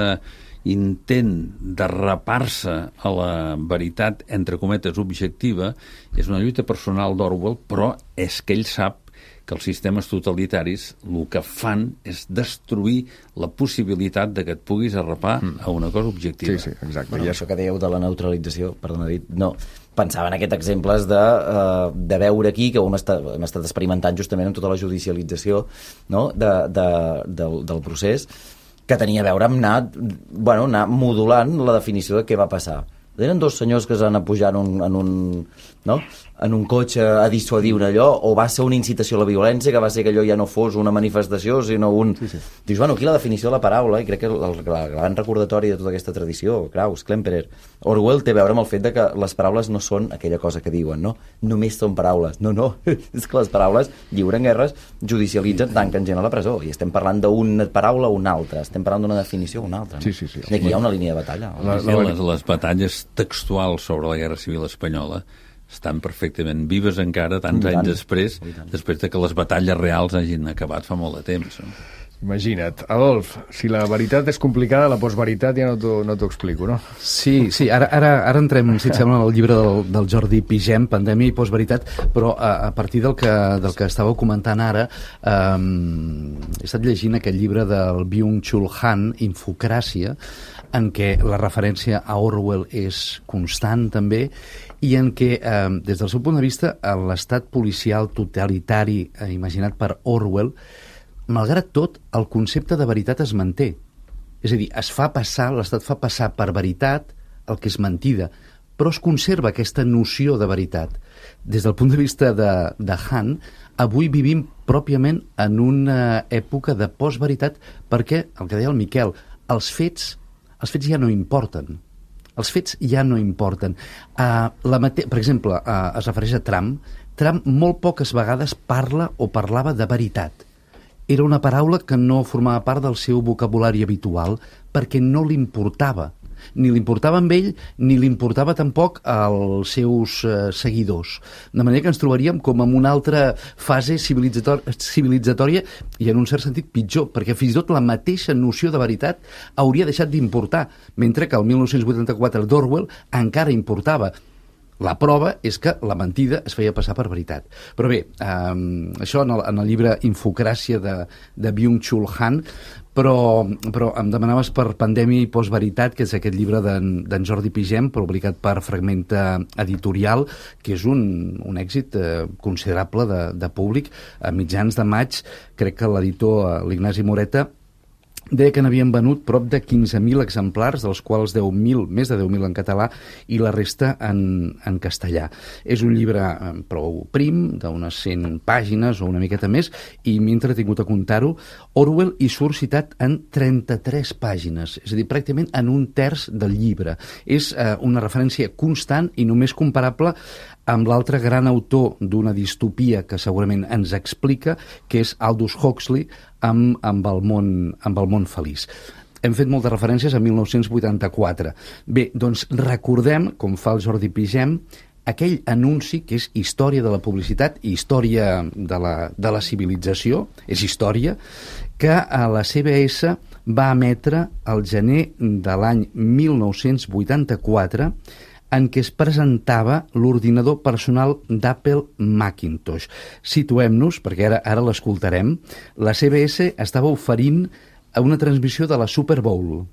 intent de rapar-se a la veritat, entre cometes, objectiva, és una lluita personal d'Orwell, però és que ell sap que els sistemes totalitaris el que fan és destruir la possibilitat de que et puguis arrapar a una cosa objectiva. Sí, exacte. Bueno, això que dèieu de la neutralització, perdona, dit, no, pensava en aquests exemples de veure aquí que hem estat experimentant justament amb tota la judicialització, no? del procés, que tenia a veure amb anar modulant la definició de què va passar. Eren dos senyors que es van a pujar en un cotxe a dissuadir un allò, o va ser una incitació a la violència, que va ser que allò ja no fos una manifestació, sinó un... Sí. Dius, bueno, aquí la definició de la paraula, i crec que el gran recordatori de tota aquesta tradició, Krauss, Klemperer, Orwell, té a veure amb el fet de que les paraules no són aquella cosa que diuen, no? Només són paraules. No. És que les paraules lliuren guerres, judicialitzen, tanquen gent a la presó, i estem parlant d'una paraula o una altra, estem parlant d'una definició o una altra. No? Sí. I aquí hi ha una línia de batalla. Les batalles textuals sobre la Guerra Civil Espanyola estan perfectament vives encara, tants anys després de que les batalles reals hagin acabat fa molt de temps. No? Imagina't. Adolf, si la veritat és complicada, la postveritat ja no t'ho explico, no? Sí, ara entrem, si et sembla, al llibre del Jordi Pigem, Pandèmia i postveritat, però a partir del que estàveu comentant ara, he estat llegint aquest llibre del Byung-Chul Han, Infocràcia, en què la referència a Orwell és constant també, i en què, des del seu punt de vista, l'estat policial totalitari imaginat per Orwell, malgrat tot, el concepte de veritat es manté. És a dir, l'estat fa passar per veritat el que és mentida, però es conserva aquesta noció de veritat. Des del punt de vista de Han, avui vivim pròpiament en una època de postveritat perquè, el que deia el Miquel, els fets ja no importen. Els fets ja no importen. Per exemple, es refereix a Trump. Trump molt poques vegades parla o parlava de veritat. Era una paraula que no formava part del seu vocabulari habitual perquè no li importava. Ni li importava amb ell, ni li importava tampoc als seus seguidors. De manera que ens trobaríem com en una altra fase civilitzatòria i en un cert sentit pitjor, perquè fins i tot la mateixa noció de veritat hauria deixat d'importar, mentre que el 1984 d'Orwell encara importava. La prova és que la mentida es feia passar per veritat. Però bé, això en el llibre Infocràcia de Byung-Chul Han, però em demanaves per Pandèmia i postveritat, que és aquest llibre d'en Jordi Pigem, publicat per Fragmenta Editorial, que és un èxit considerable de públic. A mitjans de maig, crec que l'editor, l'Ignasi Moreta, deia que n'havien venut prop de 15.000 exemplars, dels quals més de 10.000 en català i la resta en castellà. És un llibre prou prim, d'unes 100 pàgines o una miqueta més, i m'he entretingut a comptar-ho. Orwell hi surt citat en 33 pàgines, és a dir, pràcticament en un terç del llibre. És una referència constant i només comparable amb l'altre gran autor d'una distopia que segurament ens explica, que és Aldous Huxley, amb el món feliç. Hem fet moltes referències a 1984. Bé, doncs recordem, com fa el Jordi Pigem, aquell anunci que és història de la publicitat i història de la civilització, és història, que a la CBS va emetre el gener de l'any 1984, en què es presentava l'ordinador personal d'Apple Macintosh. Situem-nos, perquè ara l'escoltarem. La CBS estava oferint una transmissió de la Super Bowl.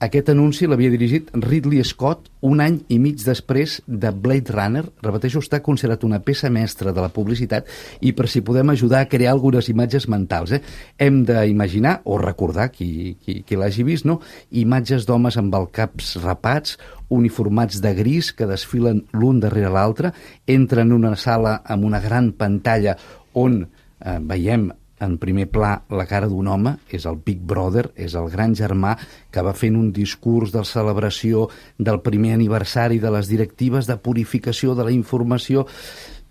Aquest anunci l'havia dirigit Ridley Scott un any i mig després de Blade Runner. Repeteixo, està considerat una peça mestra de la publicitat i per si podem ajudar a crear algunes imatges mentals. Hem d'imaginar, o recordar, qui l'hagi vist, no? Imatges d'homes amb els caps rapats, uniformats de gris que desfilen l'un darrere l'altre, entren en una sala amb una gran pantalla on veiem en primer pla la cara d'un home, és el Big Brother, és el gran germà que va fent un discurs de celebració del primer aniversari de les directives de purificació de la informació.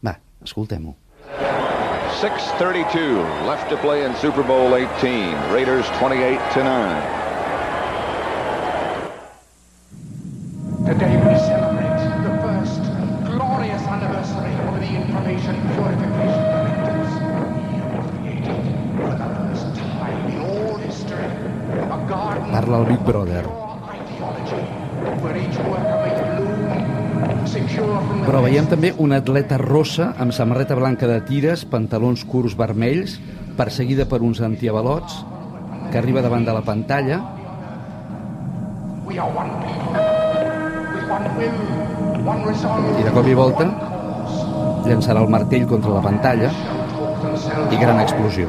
Va, escoltem-ho. 6:32 left to play in Super Bowl 18. Raiders 28-9. Today we celebrate the first glorious anniversary of the Information Purification Directives. Created for the first time in all history a garden Parla el Big Brother. of ideology where each worker may bloom, secure Però veiem també una atleta rossa amb samarreta blanca de tires, pantalons curts vermells, perseguida per uns antiavalots, que arriba davant de la pantalla. I de cop i volta llançarà el martell contra la pantalla i gran explosió.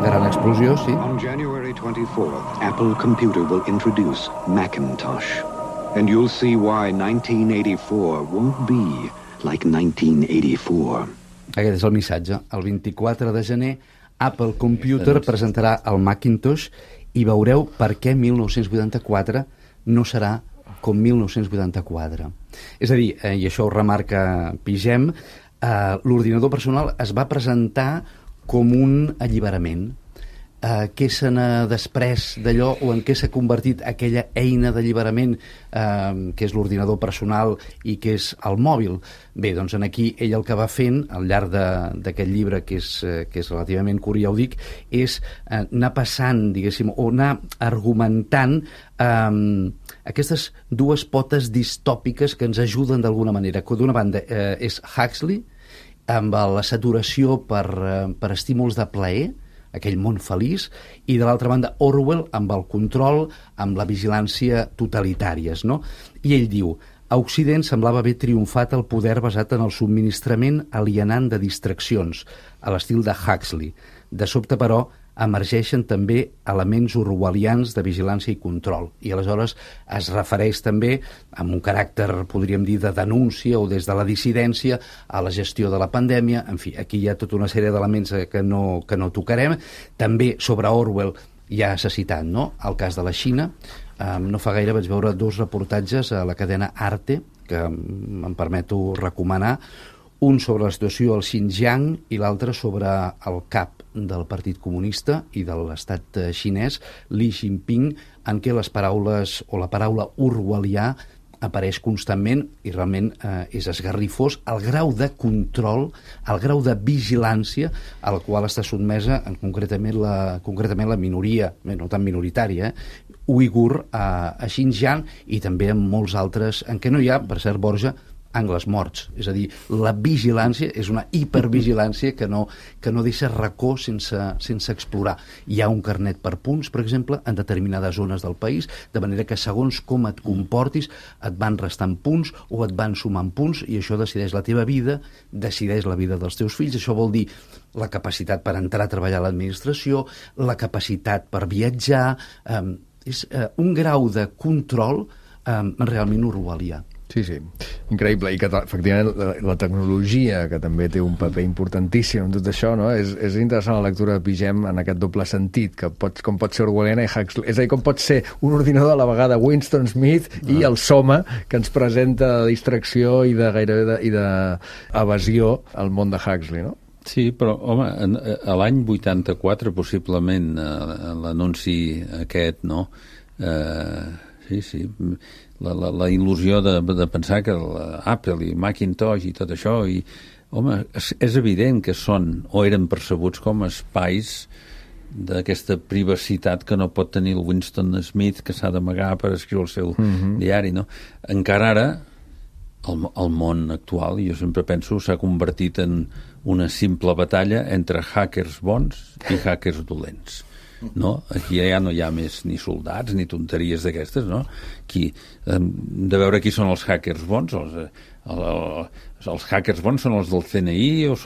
Gran explosió, sí. On January 24th, Apple Computer will introduce Macintosh. And you'll see why 1984 won't be like 1984. Aquest és el missatge. El 24 de gener, Apple Computer presentarà el Macintosh i veureu per què 1984 no serà com 1984. És a dir, i això ho remarca Pigem, l'ordinador personal es va presentar com un alliberament. Què se n'ha desprès d'allò o en què s'ha convertit aquella eina d'alliberament que és l'ordinador personal i que és el mòbil? Bé, doncs aquí ell el que va fent al llarg d'aquest llibre, que és relativament curt, ja ho dic, és anar passant, diguéssim, o anar argumentant aquestes dues potes distòpiques que ens ajuden d'alguna manera. D'una banda és Huxley, amb la saturació per estímuls de plaer, aquell món feliç, i de l'altra banda Orwell amb el control, amb la vigilància totalitàries, no? I ell diu: a Occident semblava haver triomfat el poder basat en el subministrament alienant de distraccions, a l'estil de Huxley. De sobte, però, emergeixen també elements orwellians de vigilància i control. I aleshores es refereix també, amb un caràcter, podríem dir, de denúncia o des de la dissidència, a la gestió de la pandèmia. En fi, aquí hi ha tota una sèrie d'elements que no tocarem. També sobre Orwell ja s'ha citat, no?, el cas de la Xina. No fa gaire vaig veure 2 reportatges a la cadena Arte, que em permeto recomanar, un sobre la situació al Xinjiang i l'altre sobre el cap del Partit Comunista i de l'estat xinès, Xi Jinping, en què les paraules o la paraula orwellià apareix constantment i realment és esgarrifós el grau de control, el grau de vigilància al qual està sotmesa concretament la minoria, no tan minoritària, uigur a Xinjiang i també en molts altres, en què no hi ha, per cert, Borja, angles morts. És a dir, la vigilància és una hipervigilància que no deixa racó sense explorar. Hi ha un carnet per punts, per exemple, en determinades zones del país, de manera que segons com et comportis et van restant punts o et van sumant punts i això decideix la teva vida, decideix la vida dels teus fills. Això vol dir la capacitat per entrar a treballar a l'administració, la capacitat per viatjar... és un grau de control realment orwellià. Sí, increïble, i que efectivament la tecnologia, que també té un paper importantíssim en tot això, no? És interessant la lectura de Pigem en aquest doble sentit, que com pot ser orwelliana i Huxley, és a dir, com pot ser un ordinador a la vegada Winston Smith i el Soma, que ens presenta de distracció i de gairebé d'evasió al món de Huxley, no? Sí, però, home, a l'any 84, possiblement, l'anunci aquest, no? Sí, la il·lusió de pensar que Apple i Macintosh i tot això, i, home, és evident que són o eren percebuts com espais d'aquesta privacitat que no pot tenir el Winston Smith, que s'ha d'amagar per escriure el seu diari, no? Encara ara, el món actual, jo sempre penso, s'ha convertit en una simple batalla entre hackers bons i hackers dolents. No? Aquí ja no hi ha més ni soldats ni tonteries d'aquestes, no? De veure qui són els hackers bons. Els hackers bons són els del CNI o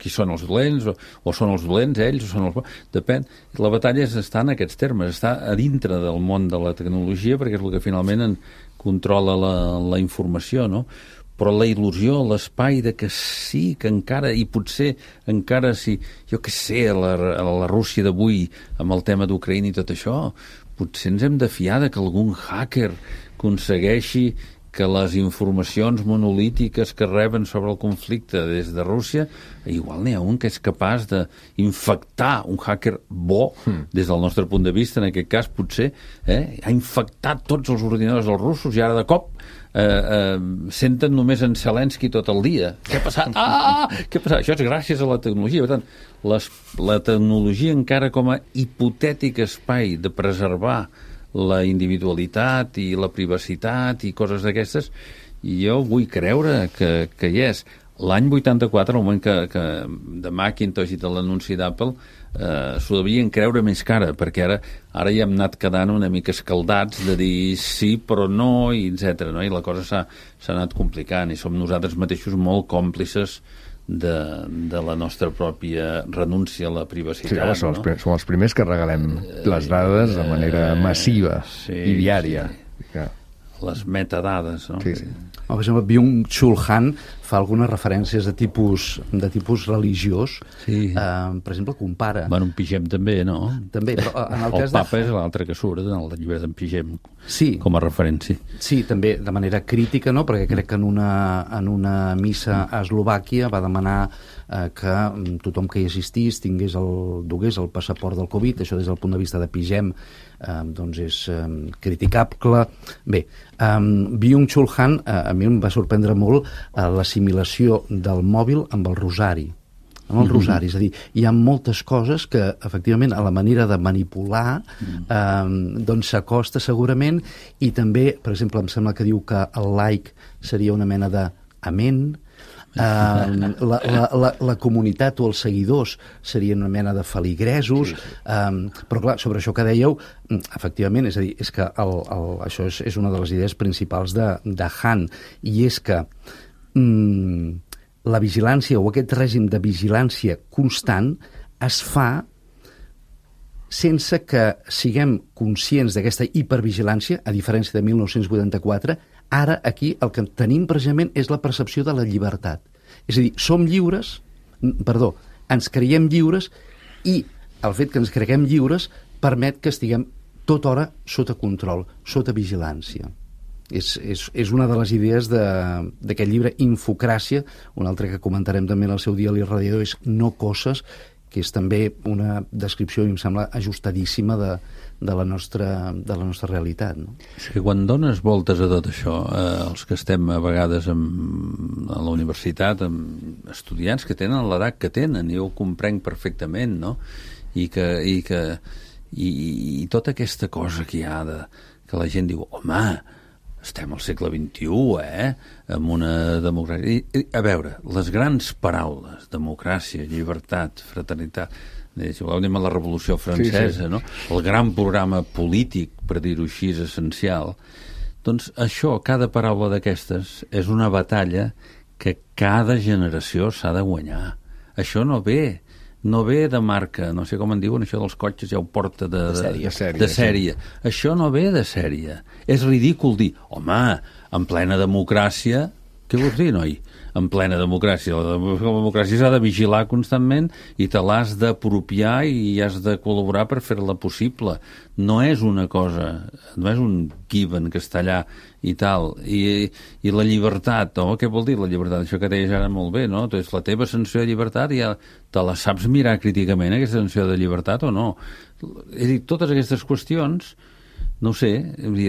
qui són els dolents o són els dolents ells o són els bons, depèn. La batalla està en aquests termes, està a dintre del món de la tecnologia, perquè és el que finalment controla la informació, no? Però la il·lusió, l'espai de que sí, que encara, i potser encara si, jo què sé, la Rússia d'avui, amb el tema d'Ucraïna i tot això, potser ens hem de fiar de que algun hacker aconsegueixi que les informacions monolítiques que reben sobre el conflicte des de Rússia, igual n'hi ha un que és capaç d'infectar un hacker bo, des del nostre punt de vista, en aquest cas, potser, ha infectat tots els ordinadors dels russos i ara de cop senten només en Zelensky tot el dia. Què ha passat? Què ha passat? Això és gràcies a la tecnologia. Per tant, la tecnologia encara com a hipotètic espai de preservar la individualitat i la privacitat i coses d'aquestes, jo vull creure que hi és. L'any 84, el moment que de Macintosh i de l'anunci d'Apple, s'ho devien creure més cara, perquè ara ja hem anat quedant una mica escaldats de dir sí però no, i etc. No? I la cosa s'ha anat complicant i som nosaltres mateixos molt còmplices de la nostra pròpia renúncia a la privacitat. Sí, home, som els primers que regalem les dades de manera massiva i diària. Sí. Les metadades, no? Sí. Per exemple, Byung-Chul Han fa algunes referències de tipus religiós. Sí. Per exemple, compara... Bueno, en Pigem també, no? També, però en el cas Papa és l'altre que surt en el llibre d'en Pigem, sí, com a referència. Sí, també de manera crítica, no? Perquè crec que en una missa a Eslovàquia va demanar que tothom que hi assistís dugués el passaport del Covid. Això des del punt de vista de Pigem doncs és criticable. Bé, Byung-Chul Han a mi em va sorprendre molt l'assimilació del mòbil amb el rosari. Amb el rosari, és a dir, hi ha moltes coses que efectivament a la manera de manipular doncs s'acosta segurament, i també, per exemple, em sembla que diu que el like seria una mena d'amén, la comunitat o els seguidors serien una mena de feligresos, però clar, sobre això que dèieu, efectivament, és a dir, és que això és una de les idees principals de Han, i és que la vigilància o aquest règim de vigilància constant es fa sense que siguem conscients d'aquesta hipervigilància, a diferència de 1984. Ara, aquí, el que tenim precisament és la percepció de la llibertat. És a dir, ens creiem lliures, i el fet que ens creguem lliures permet que estiguem tota hora sota control, sota vigilància. És una de les idees d'aquest llibre, Infocràcia. Un altre que comentarem també en el seu dia a l'Irradiador és No coses, que és també una descripció, em sembla, ajustadíssima de la nostra realitat. No? És que quan dones voltes a tot això, els que estem a vegades a la universitat, amb estudiants que tenen l'edat que tenen, jo ho comprenc perfectament, no? I tota aquesta cosa que hi ha que la gent diu, home, estem al segle XXI, amb una democràcia... A veure, les grans paraules, democràcia, llibertat, fraternitat, anem a la Revolució Francesa, no? El gran programa polític, per dir-ho així, és essencial. Doncs això, cada paraula d'aquestes, és una batalla que cada generació s'ha de guanyar. Això no ve de marca, no sé com en diuen, això dels cotxes ja ho porta de sèrie. Això no ve de sèrie. És ridícul dir, home, en plena democràcia, què vols dir, noi? En plena democràcia. La democràcia s'ha de vigilar constantment i te l'has d'apropiar i has de col·laborar per fer-la possible. No és una cosa, no és un given que està allà i tal. I la llibertat, no? Què vol dir la llibertat? Això que deies ara molt bé, no? Doncs la teva sensació de llibertat ja te la saps mirar críticament, aquesta sensació de llibertat, o no? És a dir, totes aquestes qüestions, no ho sé,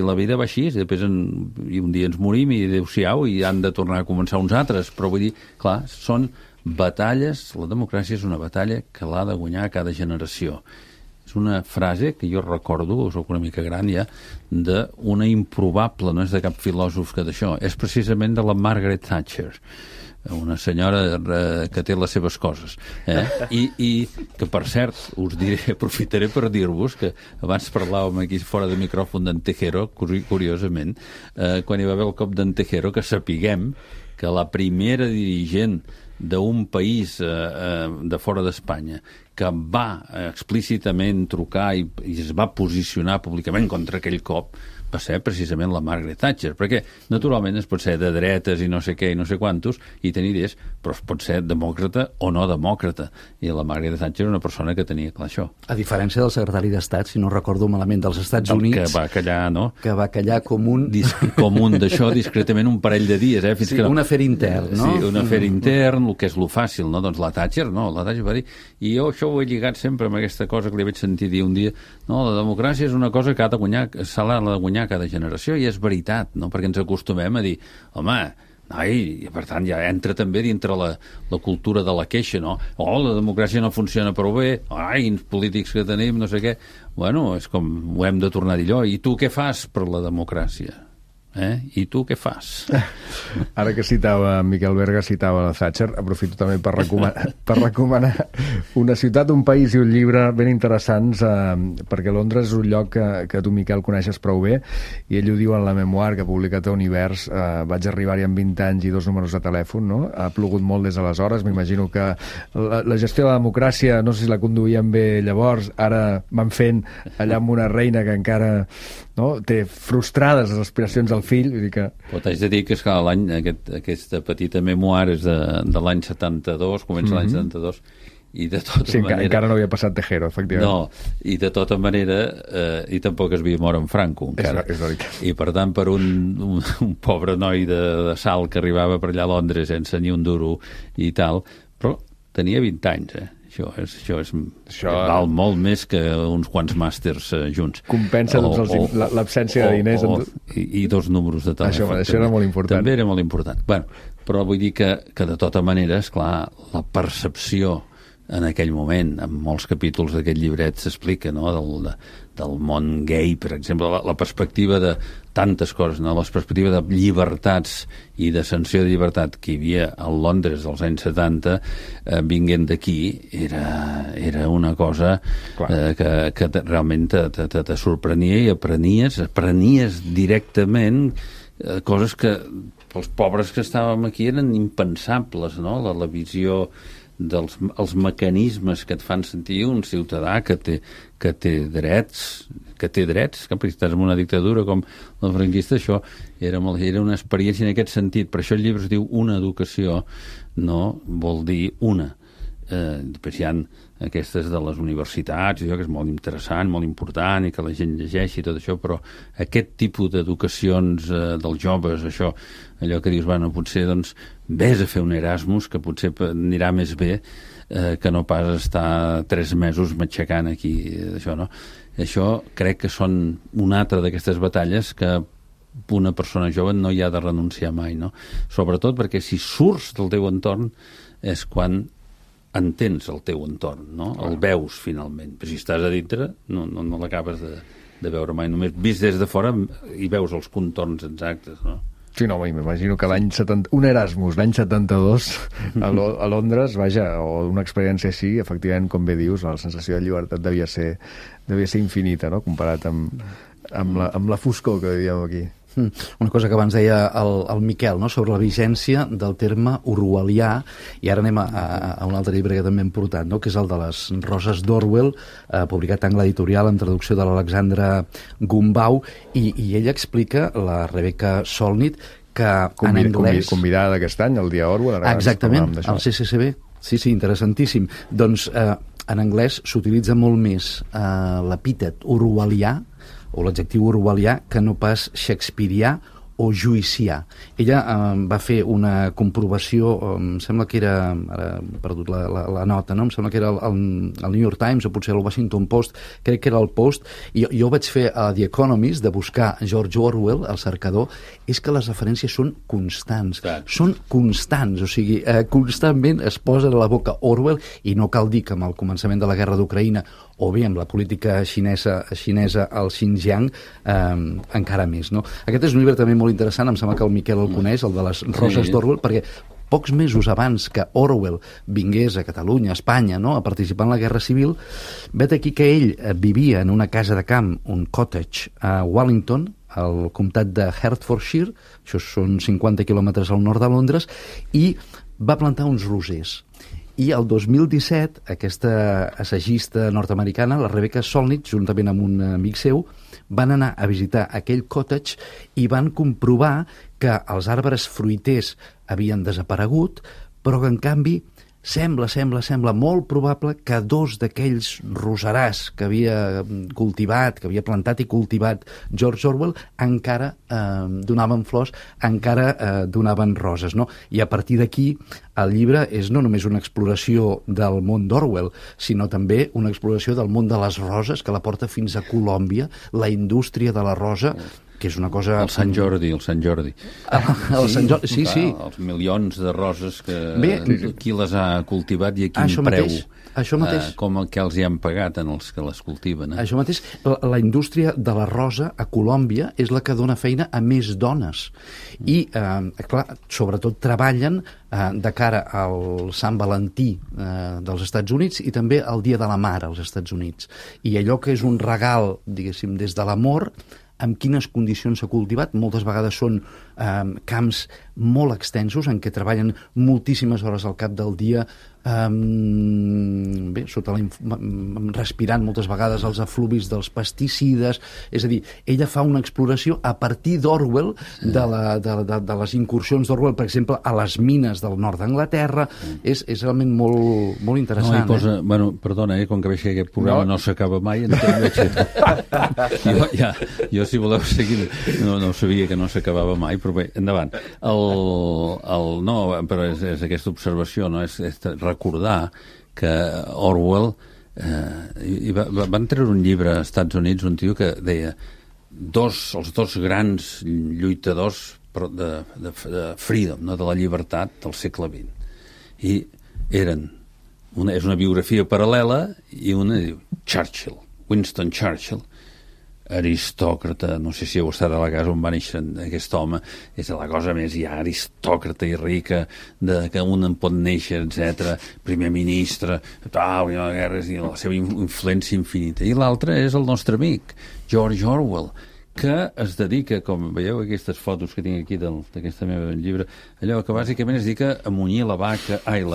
la vida va així, després i un dia ens morim i adéu-siau i han de tornar a començar uns altres, però vull dir, clar, són batalles, la democràcia és una batalla que l'ha de guanyar cada generació. És una frase que jo recordo, soc una mica gran ja, d'una improbable, no és de cap filòsof que d'això, és precisament de la Margaret Thatcher, una senyora que té les seves coses, i que, per cert, us diré, aprofitaré per dir-vos que abans parlàvem aquí fora de micròfon d'en Tejero, curiosament, quan hi va haver el cop d'en Tejero, que sapiguem que la primera dirigent d'un país de fora d'Espanya que va explícitament trucar i es va posicionar públicament contra aquell cop va ser precisament la Margaret Thatcher, perquè naturalment es pot ser de dretes i no sé què i no sé quantos i tenir idees, però es pot ser demòcrata o no demòcrata, i la Margaret Thatcher era una persona que tenia clar això. A diferència del secretari d'Estat, si no recordo malament, dels Estats Units... Que va callar, no? Que va callar com un... Com un d'això, discretament un parell de dies, Fins sí, que no... un afer intern, no? Sí, un afer intern, el que és lo fàcil, no? Doncs la Thatcher, no? La Thatcher va dir... I jo això ho he lligat sempre amb aquesta cosa que li vaig sentir dir un dia, no? La democràcia és una cosa que s'ha de guanyar cada generació, i és veritat, no? Perquè ens acostumem a dir, home, i per tant ja entra també dintre la cultura de la queixa, no? La democràcia no funciona prou bé, quins polítics que tenim, no sé què. Bueno, és com ho hem de tornar a dir allò. I tu què fas per la democràcia? I tu què fas? Ara que Miquel Berga citava la Thatcher, aprofito també per recomanar una ciutat, un país i un llibre ben interessants, perquè Londres és un lloc que tu, Miquel, coneixes prou bé, i ell ho diu en la memoir que ha publicat a Univers. Vaig arribar-hi amb 20 anys i 2 números de telèfon, no? Ha plogut molt des d'aleshores. M'imagino que la gestió de la democràcia, no sé si la conduïen bé llavors, ara van fent allà amb una reina que encara té frustrades les aspiracions del fill, vull dir que... Però t'haig de dir que aquesta petita memoir és de l'any 72, comença l'any 72, i de tota manera... encara no havia passat Tejero, efectivament. No, i de tota manera, i tampoc es havia mort en Franco, encara. És veritat. I per tant, per un pobre noi de Salt que arribava per allà a Londres sense ni un duro i tal, però tenia 20 anys, Això val molt més que uns quants màsters junts. Compensa l'absència de diners. I 2 números de telèfon. Això era molt important. També era molt important. Bueno, però vull dir que de tota manera, esclar, la percepció en aquell moment, en molts capítols d'aquest llibret s'explica, no?, del món gay, per exemple, la perspectiva de tantes coses, no?, la perspectiva de llibertats i de sanció de llibertat que hi havia a Londres dels anys 70, vinguent d'aquí, era una cosa que realment te sorprenia, i aprenies directament coses que pels pobres que estàvem aquí eren impensables, no?, la visió els mecanismes que et fan sentir un ciutadà que té drets, que estàs en una dictadura com la franquista. Això era una experiència en aquest sentit. Per això el llibre es diu Una educació, no vol dir una. Després hi ha aquestes de les universitats, que és molt interessant, molt important, i que la gent llegeixi tot això, però aquest tipus d'educacions dels joves, allò que dius, bueno, potser doncs vés a fer un Erasmus, que potser anirà més bé que no pas estar 3 mesos matxacant aquí, això, no? Això crec que són una altra d'aquestes batalles que una persona jove no hi ha de renunciar mai, no? Sobretot perquè si surts del teu entorn és quan entens el teu entorn, no? El veus finalment, però si estàs a dintre no l'acabes de veure mai, només vist des de fora i veus els contorns exactes, no? Sí, no, m'imagino que un Erasmus l'any 72 a Londres, vaja, o una experiència així, efectivament, com bé dius, la sensació de llibertat devia ser infinita, no?, comparat amb la foscor que vivíem aquí. Una cosa que abans deia el Miquel, no?, sobre la vigència del terme orwellià, i ara anem a un altre llibre que també hem portat, no?, que és el de les Roses d'Orwell, publicat en l'editorial amb traducció de l'Alexandra Gumbau, i ella explica, la Rebecca Solnit, que en anglès... Convidada d'aquest any, el dia Orwell. Exactament, al CCCB. Sí, interessantíssim. Doncs en anglès s'utilitza molt més l'epítet orwellià, o l'adjectiu orwellià, que no pas shakespearià o juicià. Ella va fer una comprovació, em sembla que era, ara he perdut la nota, no? Em sembla que era el New York Times o potser el Washington Post, crec que era el Post, i jo vaig fer a The Economist de buscar George Orwell, el cercador, és que les referències són constants. Clar. Són constants, o sigui, constantment es posa a la boca Orwell, i no cal dir que amb el començament de la guerra d'Ucraïna o bé amb la política xinesa al Xinjiang, encara més, no? Aquest és un llibre també molt interessant, em sembla que el Miquel el coneix, el de les Roses d'Orwell, perquè pocs mesos abans que Orwell vingués a Catalunya, a Espanya, no?, a participar en la Guerra Civil, vet aquí que ell vivia en una casa de camp, un cottage, a Wellington, al comtat de Hertfordshire, això són 50 quilòmetres al nord de Londres, i va plantar uns rosers. I el 2017, aquesta assagista nord-americana, la Rebecca Solnit, juntament amb un amic seu, van anar a visitar aquell cottage i van comprovar que els arbres fruiters havien desaparegut, però que, en canvi, sembla molt probable que 2 d'aquells roserars que havia cultivat, que havia plantat i cultivat George Orwell, encara donaven flors, encara donaven roses, no? I a partir d'aquí el llibre és no només una exploració del món d'Orwell, sinó també una exploració del món de les roses, que la porta fins a Colòmbia, la indústria de la rosa, que és una cosa... El Sant Jordi. El Sant Jordi, sí. Els milions de roses que qui les ha cultivat i a quin preu. Això mateix. Com el que els hi han pagat en els que les cultiven. Això mateix. La indústria de la rosa a Colòmbia és la que dona feina a més dones. I, clar, sobretot treballen de cara al Sant Valentí dels Estats Units i també al Dia de la Mare als Estats Units. I allò que és un regal, diguéssim, des de l'amor, amb quines condicions s'ha cultivat. Moltes vegades són camps molt extensos en què treballen moltíssimes hores al cap del dia, respirant moltes vegades els efluvis dels pesticides. És a dir, ella fa una exploració a partir d'Orwell, de les incursions d'Orwell, per exemple, a les mines del nord d'Anglaterra. És realment molt interessant. Bueno, perdona, com que veig que aquest programa no s'acaba mai, jo, si voleu seguir, no sabia que no s'acabava mai, però bé, endavant. No, però és aquesta observació, no? És recordar que Orwell van treure un llibre als Estats Units, un tio que deia els dos grans lluitadors de freedom, no? De la llibertat del segle XX, i eren és una biografia paral·lela, i una diu Churchill, Winston Churchill, aristòcrata, no sé si heu estat a la casa on va néixer aquest home, és la cosa més ja aristòcrata i rica que un en pot néixer, etc. Primer ministre, guerres, i la seva influència infinita. I l'altre és el nostre amic, George Orwell, que es dedica, com veieu aquestes fotos que tinc aquí d'aquesta meva llibre, allò que bàsicament es dedica a munyir la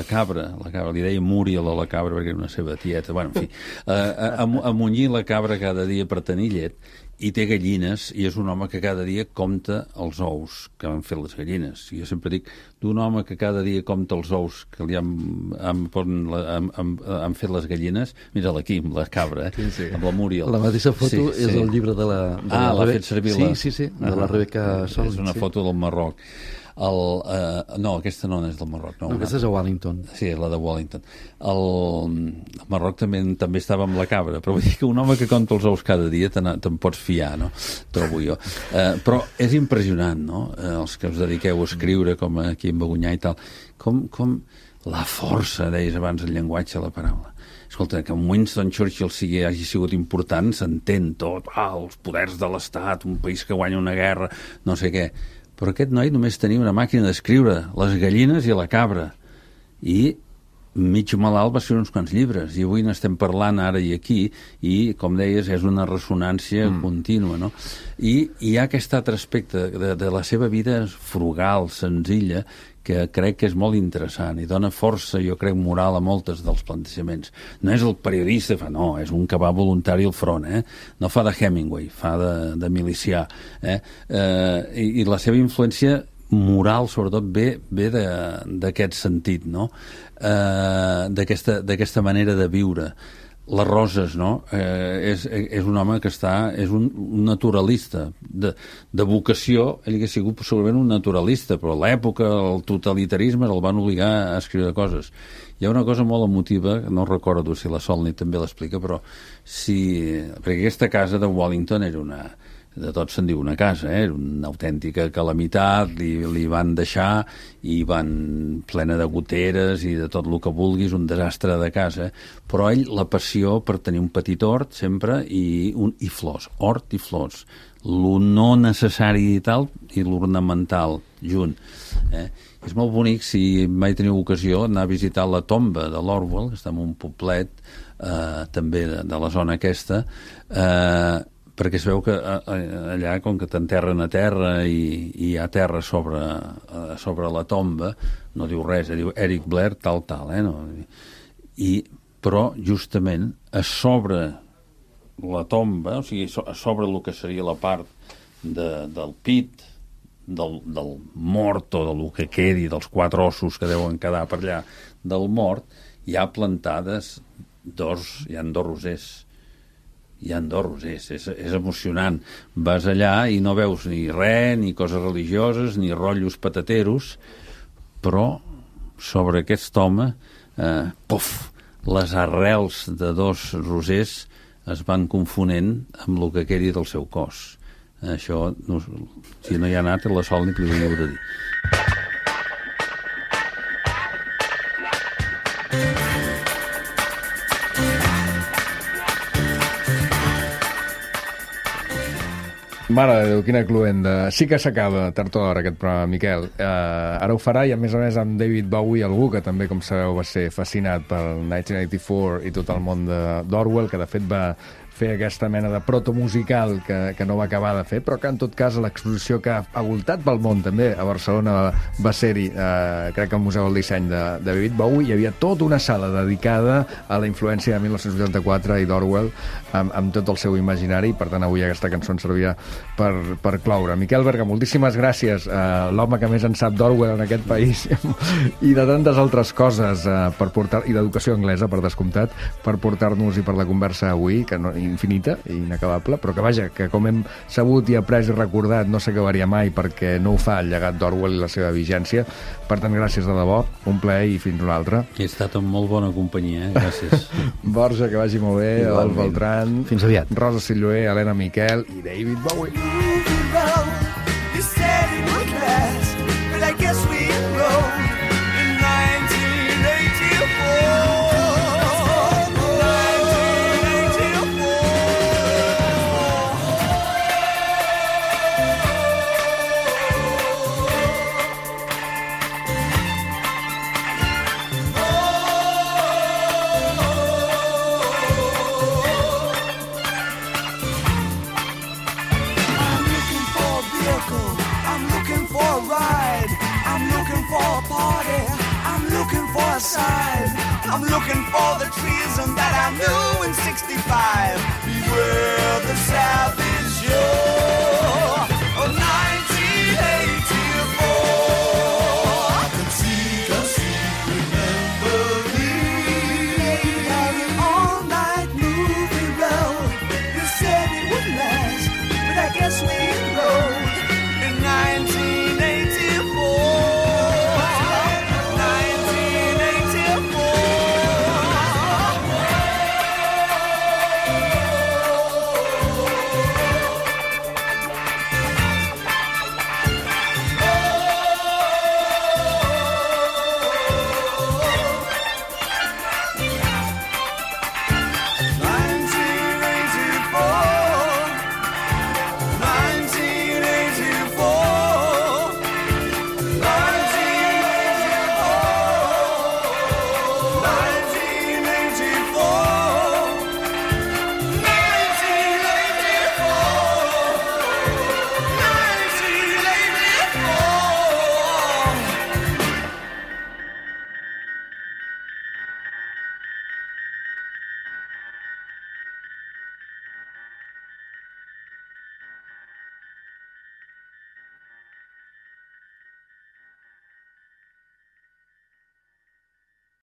cabra, li deia Muriel a la cabra perquè era una seva tieta, bueno, en fi, a munyir la cabra cada dia per tenir llet, i té gallines, i és un home que cada dia compta els ous que han fet les gallines. I jo sempre dic, d'un home que cada dia compta els ous que li han fet les gallines, mira l'Aquim, la cabra, amb la Muriel. La mateixa foto és el llibre de la... l'ha fet servir la... Sí, de la Rebecca Solnit. És una foto del Marroc. No, aquesta no és del Marroc. No, aquesta és a Wellington. Sí, la de Wellington. El Marroc també estava amb la cabra, però vull dir que un home que compta els ous cada dia te'n pots fiar, no? Trobo jo. Però és impressionant, no? Els que us dediqueu a escriure, com aquí en Bagunyà i tal, com la força, deies abans, el llenguatge, la paraula. Escolta, que Winston Churchill hagi sigut important, s'entén tot, els poders de l'Estat, un país que guanya una guerra, no sé què. Però aquest noi només tenia una màquina d'escriure, les gallines i la cabra. I mig malalt va escriure uns quants llibres, i avui n'estem parlant ara i aquí, i, com deies, és una ressonància contínua, no? I hi ha aquest altre aspecte de la seva vida frugal, senzilla, que crec que és molt interessant i dona força, jo crec, moral a moltes dels plantejaments. No és el periodista, no, és un que va voluntari al front, no fa de Hemingway, fa de milicià. I la seva influència moral, sobretot, ve d'aquest sentit, no? D'aquesta manera de viure. Les roses, no? És un home que és un naturalista. De vocació, ell hauria sigut segurament un naturalista, però a l'època, el totalitarisme el van obligar a escriure coses. Hi ha una cosa molt emotiva, no recordo si la Solnit també l'explica, però perquè aquesta casa de Wellington era de tot se'n diu una casa, era una autèntica calamitat, li van deixar i van plena de goteres i de tot el que vulguis, un desastre de casa, però ell la passió per tenir un petit hort sempre i flors, hort i flors, lo no necessari i tal i l'ornamental junt. És molt bonic, si mai teniu ocasió, anar a visitar la tomba de l'Orwell, que està en un poblet també de la zona aquesta, perquè es veu que allà, com que t'enterren a terra i hi ha terra sobre la tomba, no diu res, diu Eric Blair, tal, no? Però, justament, a sobre la tomba, o sigui, a sobre el que seria la part del pit, del mort o del que quedi, dels 4 ossos que deuen quedar per allà del mort, hi ha plantades hi ha 2 rosers. Hi ha 2 rosers, és emocionant. Vas allà i no veus ni res, ni coses religioses, ni rotllos patateros, però sobre aquest home, les arrels de 2 rosers es van confonent amb el que quedi del seu cos. Això, si no hi ha anat, la Sol ni que li veniu de dir. Mare de Déu, quina cluenda. Sí que s'acaba tard o d'hora aquest programa, Miquel. Ara ho farà i, a més, amb David Bowie, algú que també, com sabeu, va ser fascinat per 1984 i tot el món d'Orwell, que de fet va fer aquesta mena de protomusical que no va acabar de fer, però que en tot cas a l'exposició que ha voltat pel món també a Barcelona va ser-hi, crec que al Museu del Disseny de David Bowie, hi havia tota una sala dedicada a la influència de 1984 i d'Orwell amb tot el seu imaginari, per tant avui aquesta cançó ens servia per cloure. Miquel Berga, moltíssimes gràcies, l'home que més en sap d'Orwell en aquest país i de tantes altres coses i d'educació anglesa, per descomptat, per portar-nos i per la conversa avui, que no, infinita i inacabable, però que vaja, que com hem sabut i après i recordat no s'acabaria mai perquè no ho fa el llegat d'Orwell i la seva vigència. Per tant, gràcies de debò, un plaer i fins una altra. He estat en molt bona companyia, gràcies. Borja, que vagi molt bé, Adolf Beltran, fins aviat. Rosa Silloé, Helena Miquel i David Bowie. I'm looking for the treason that I knew in 65. Beware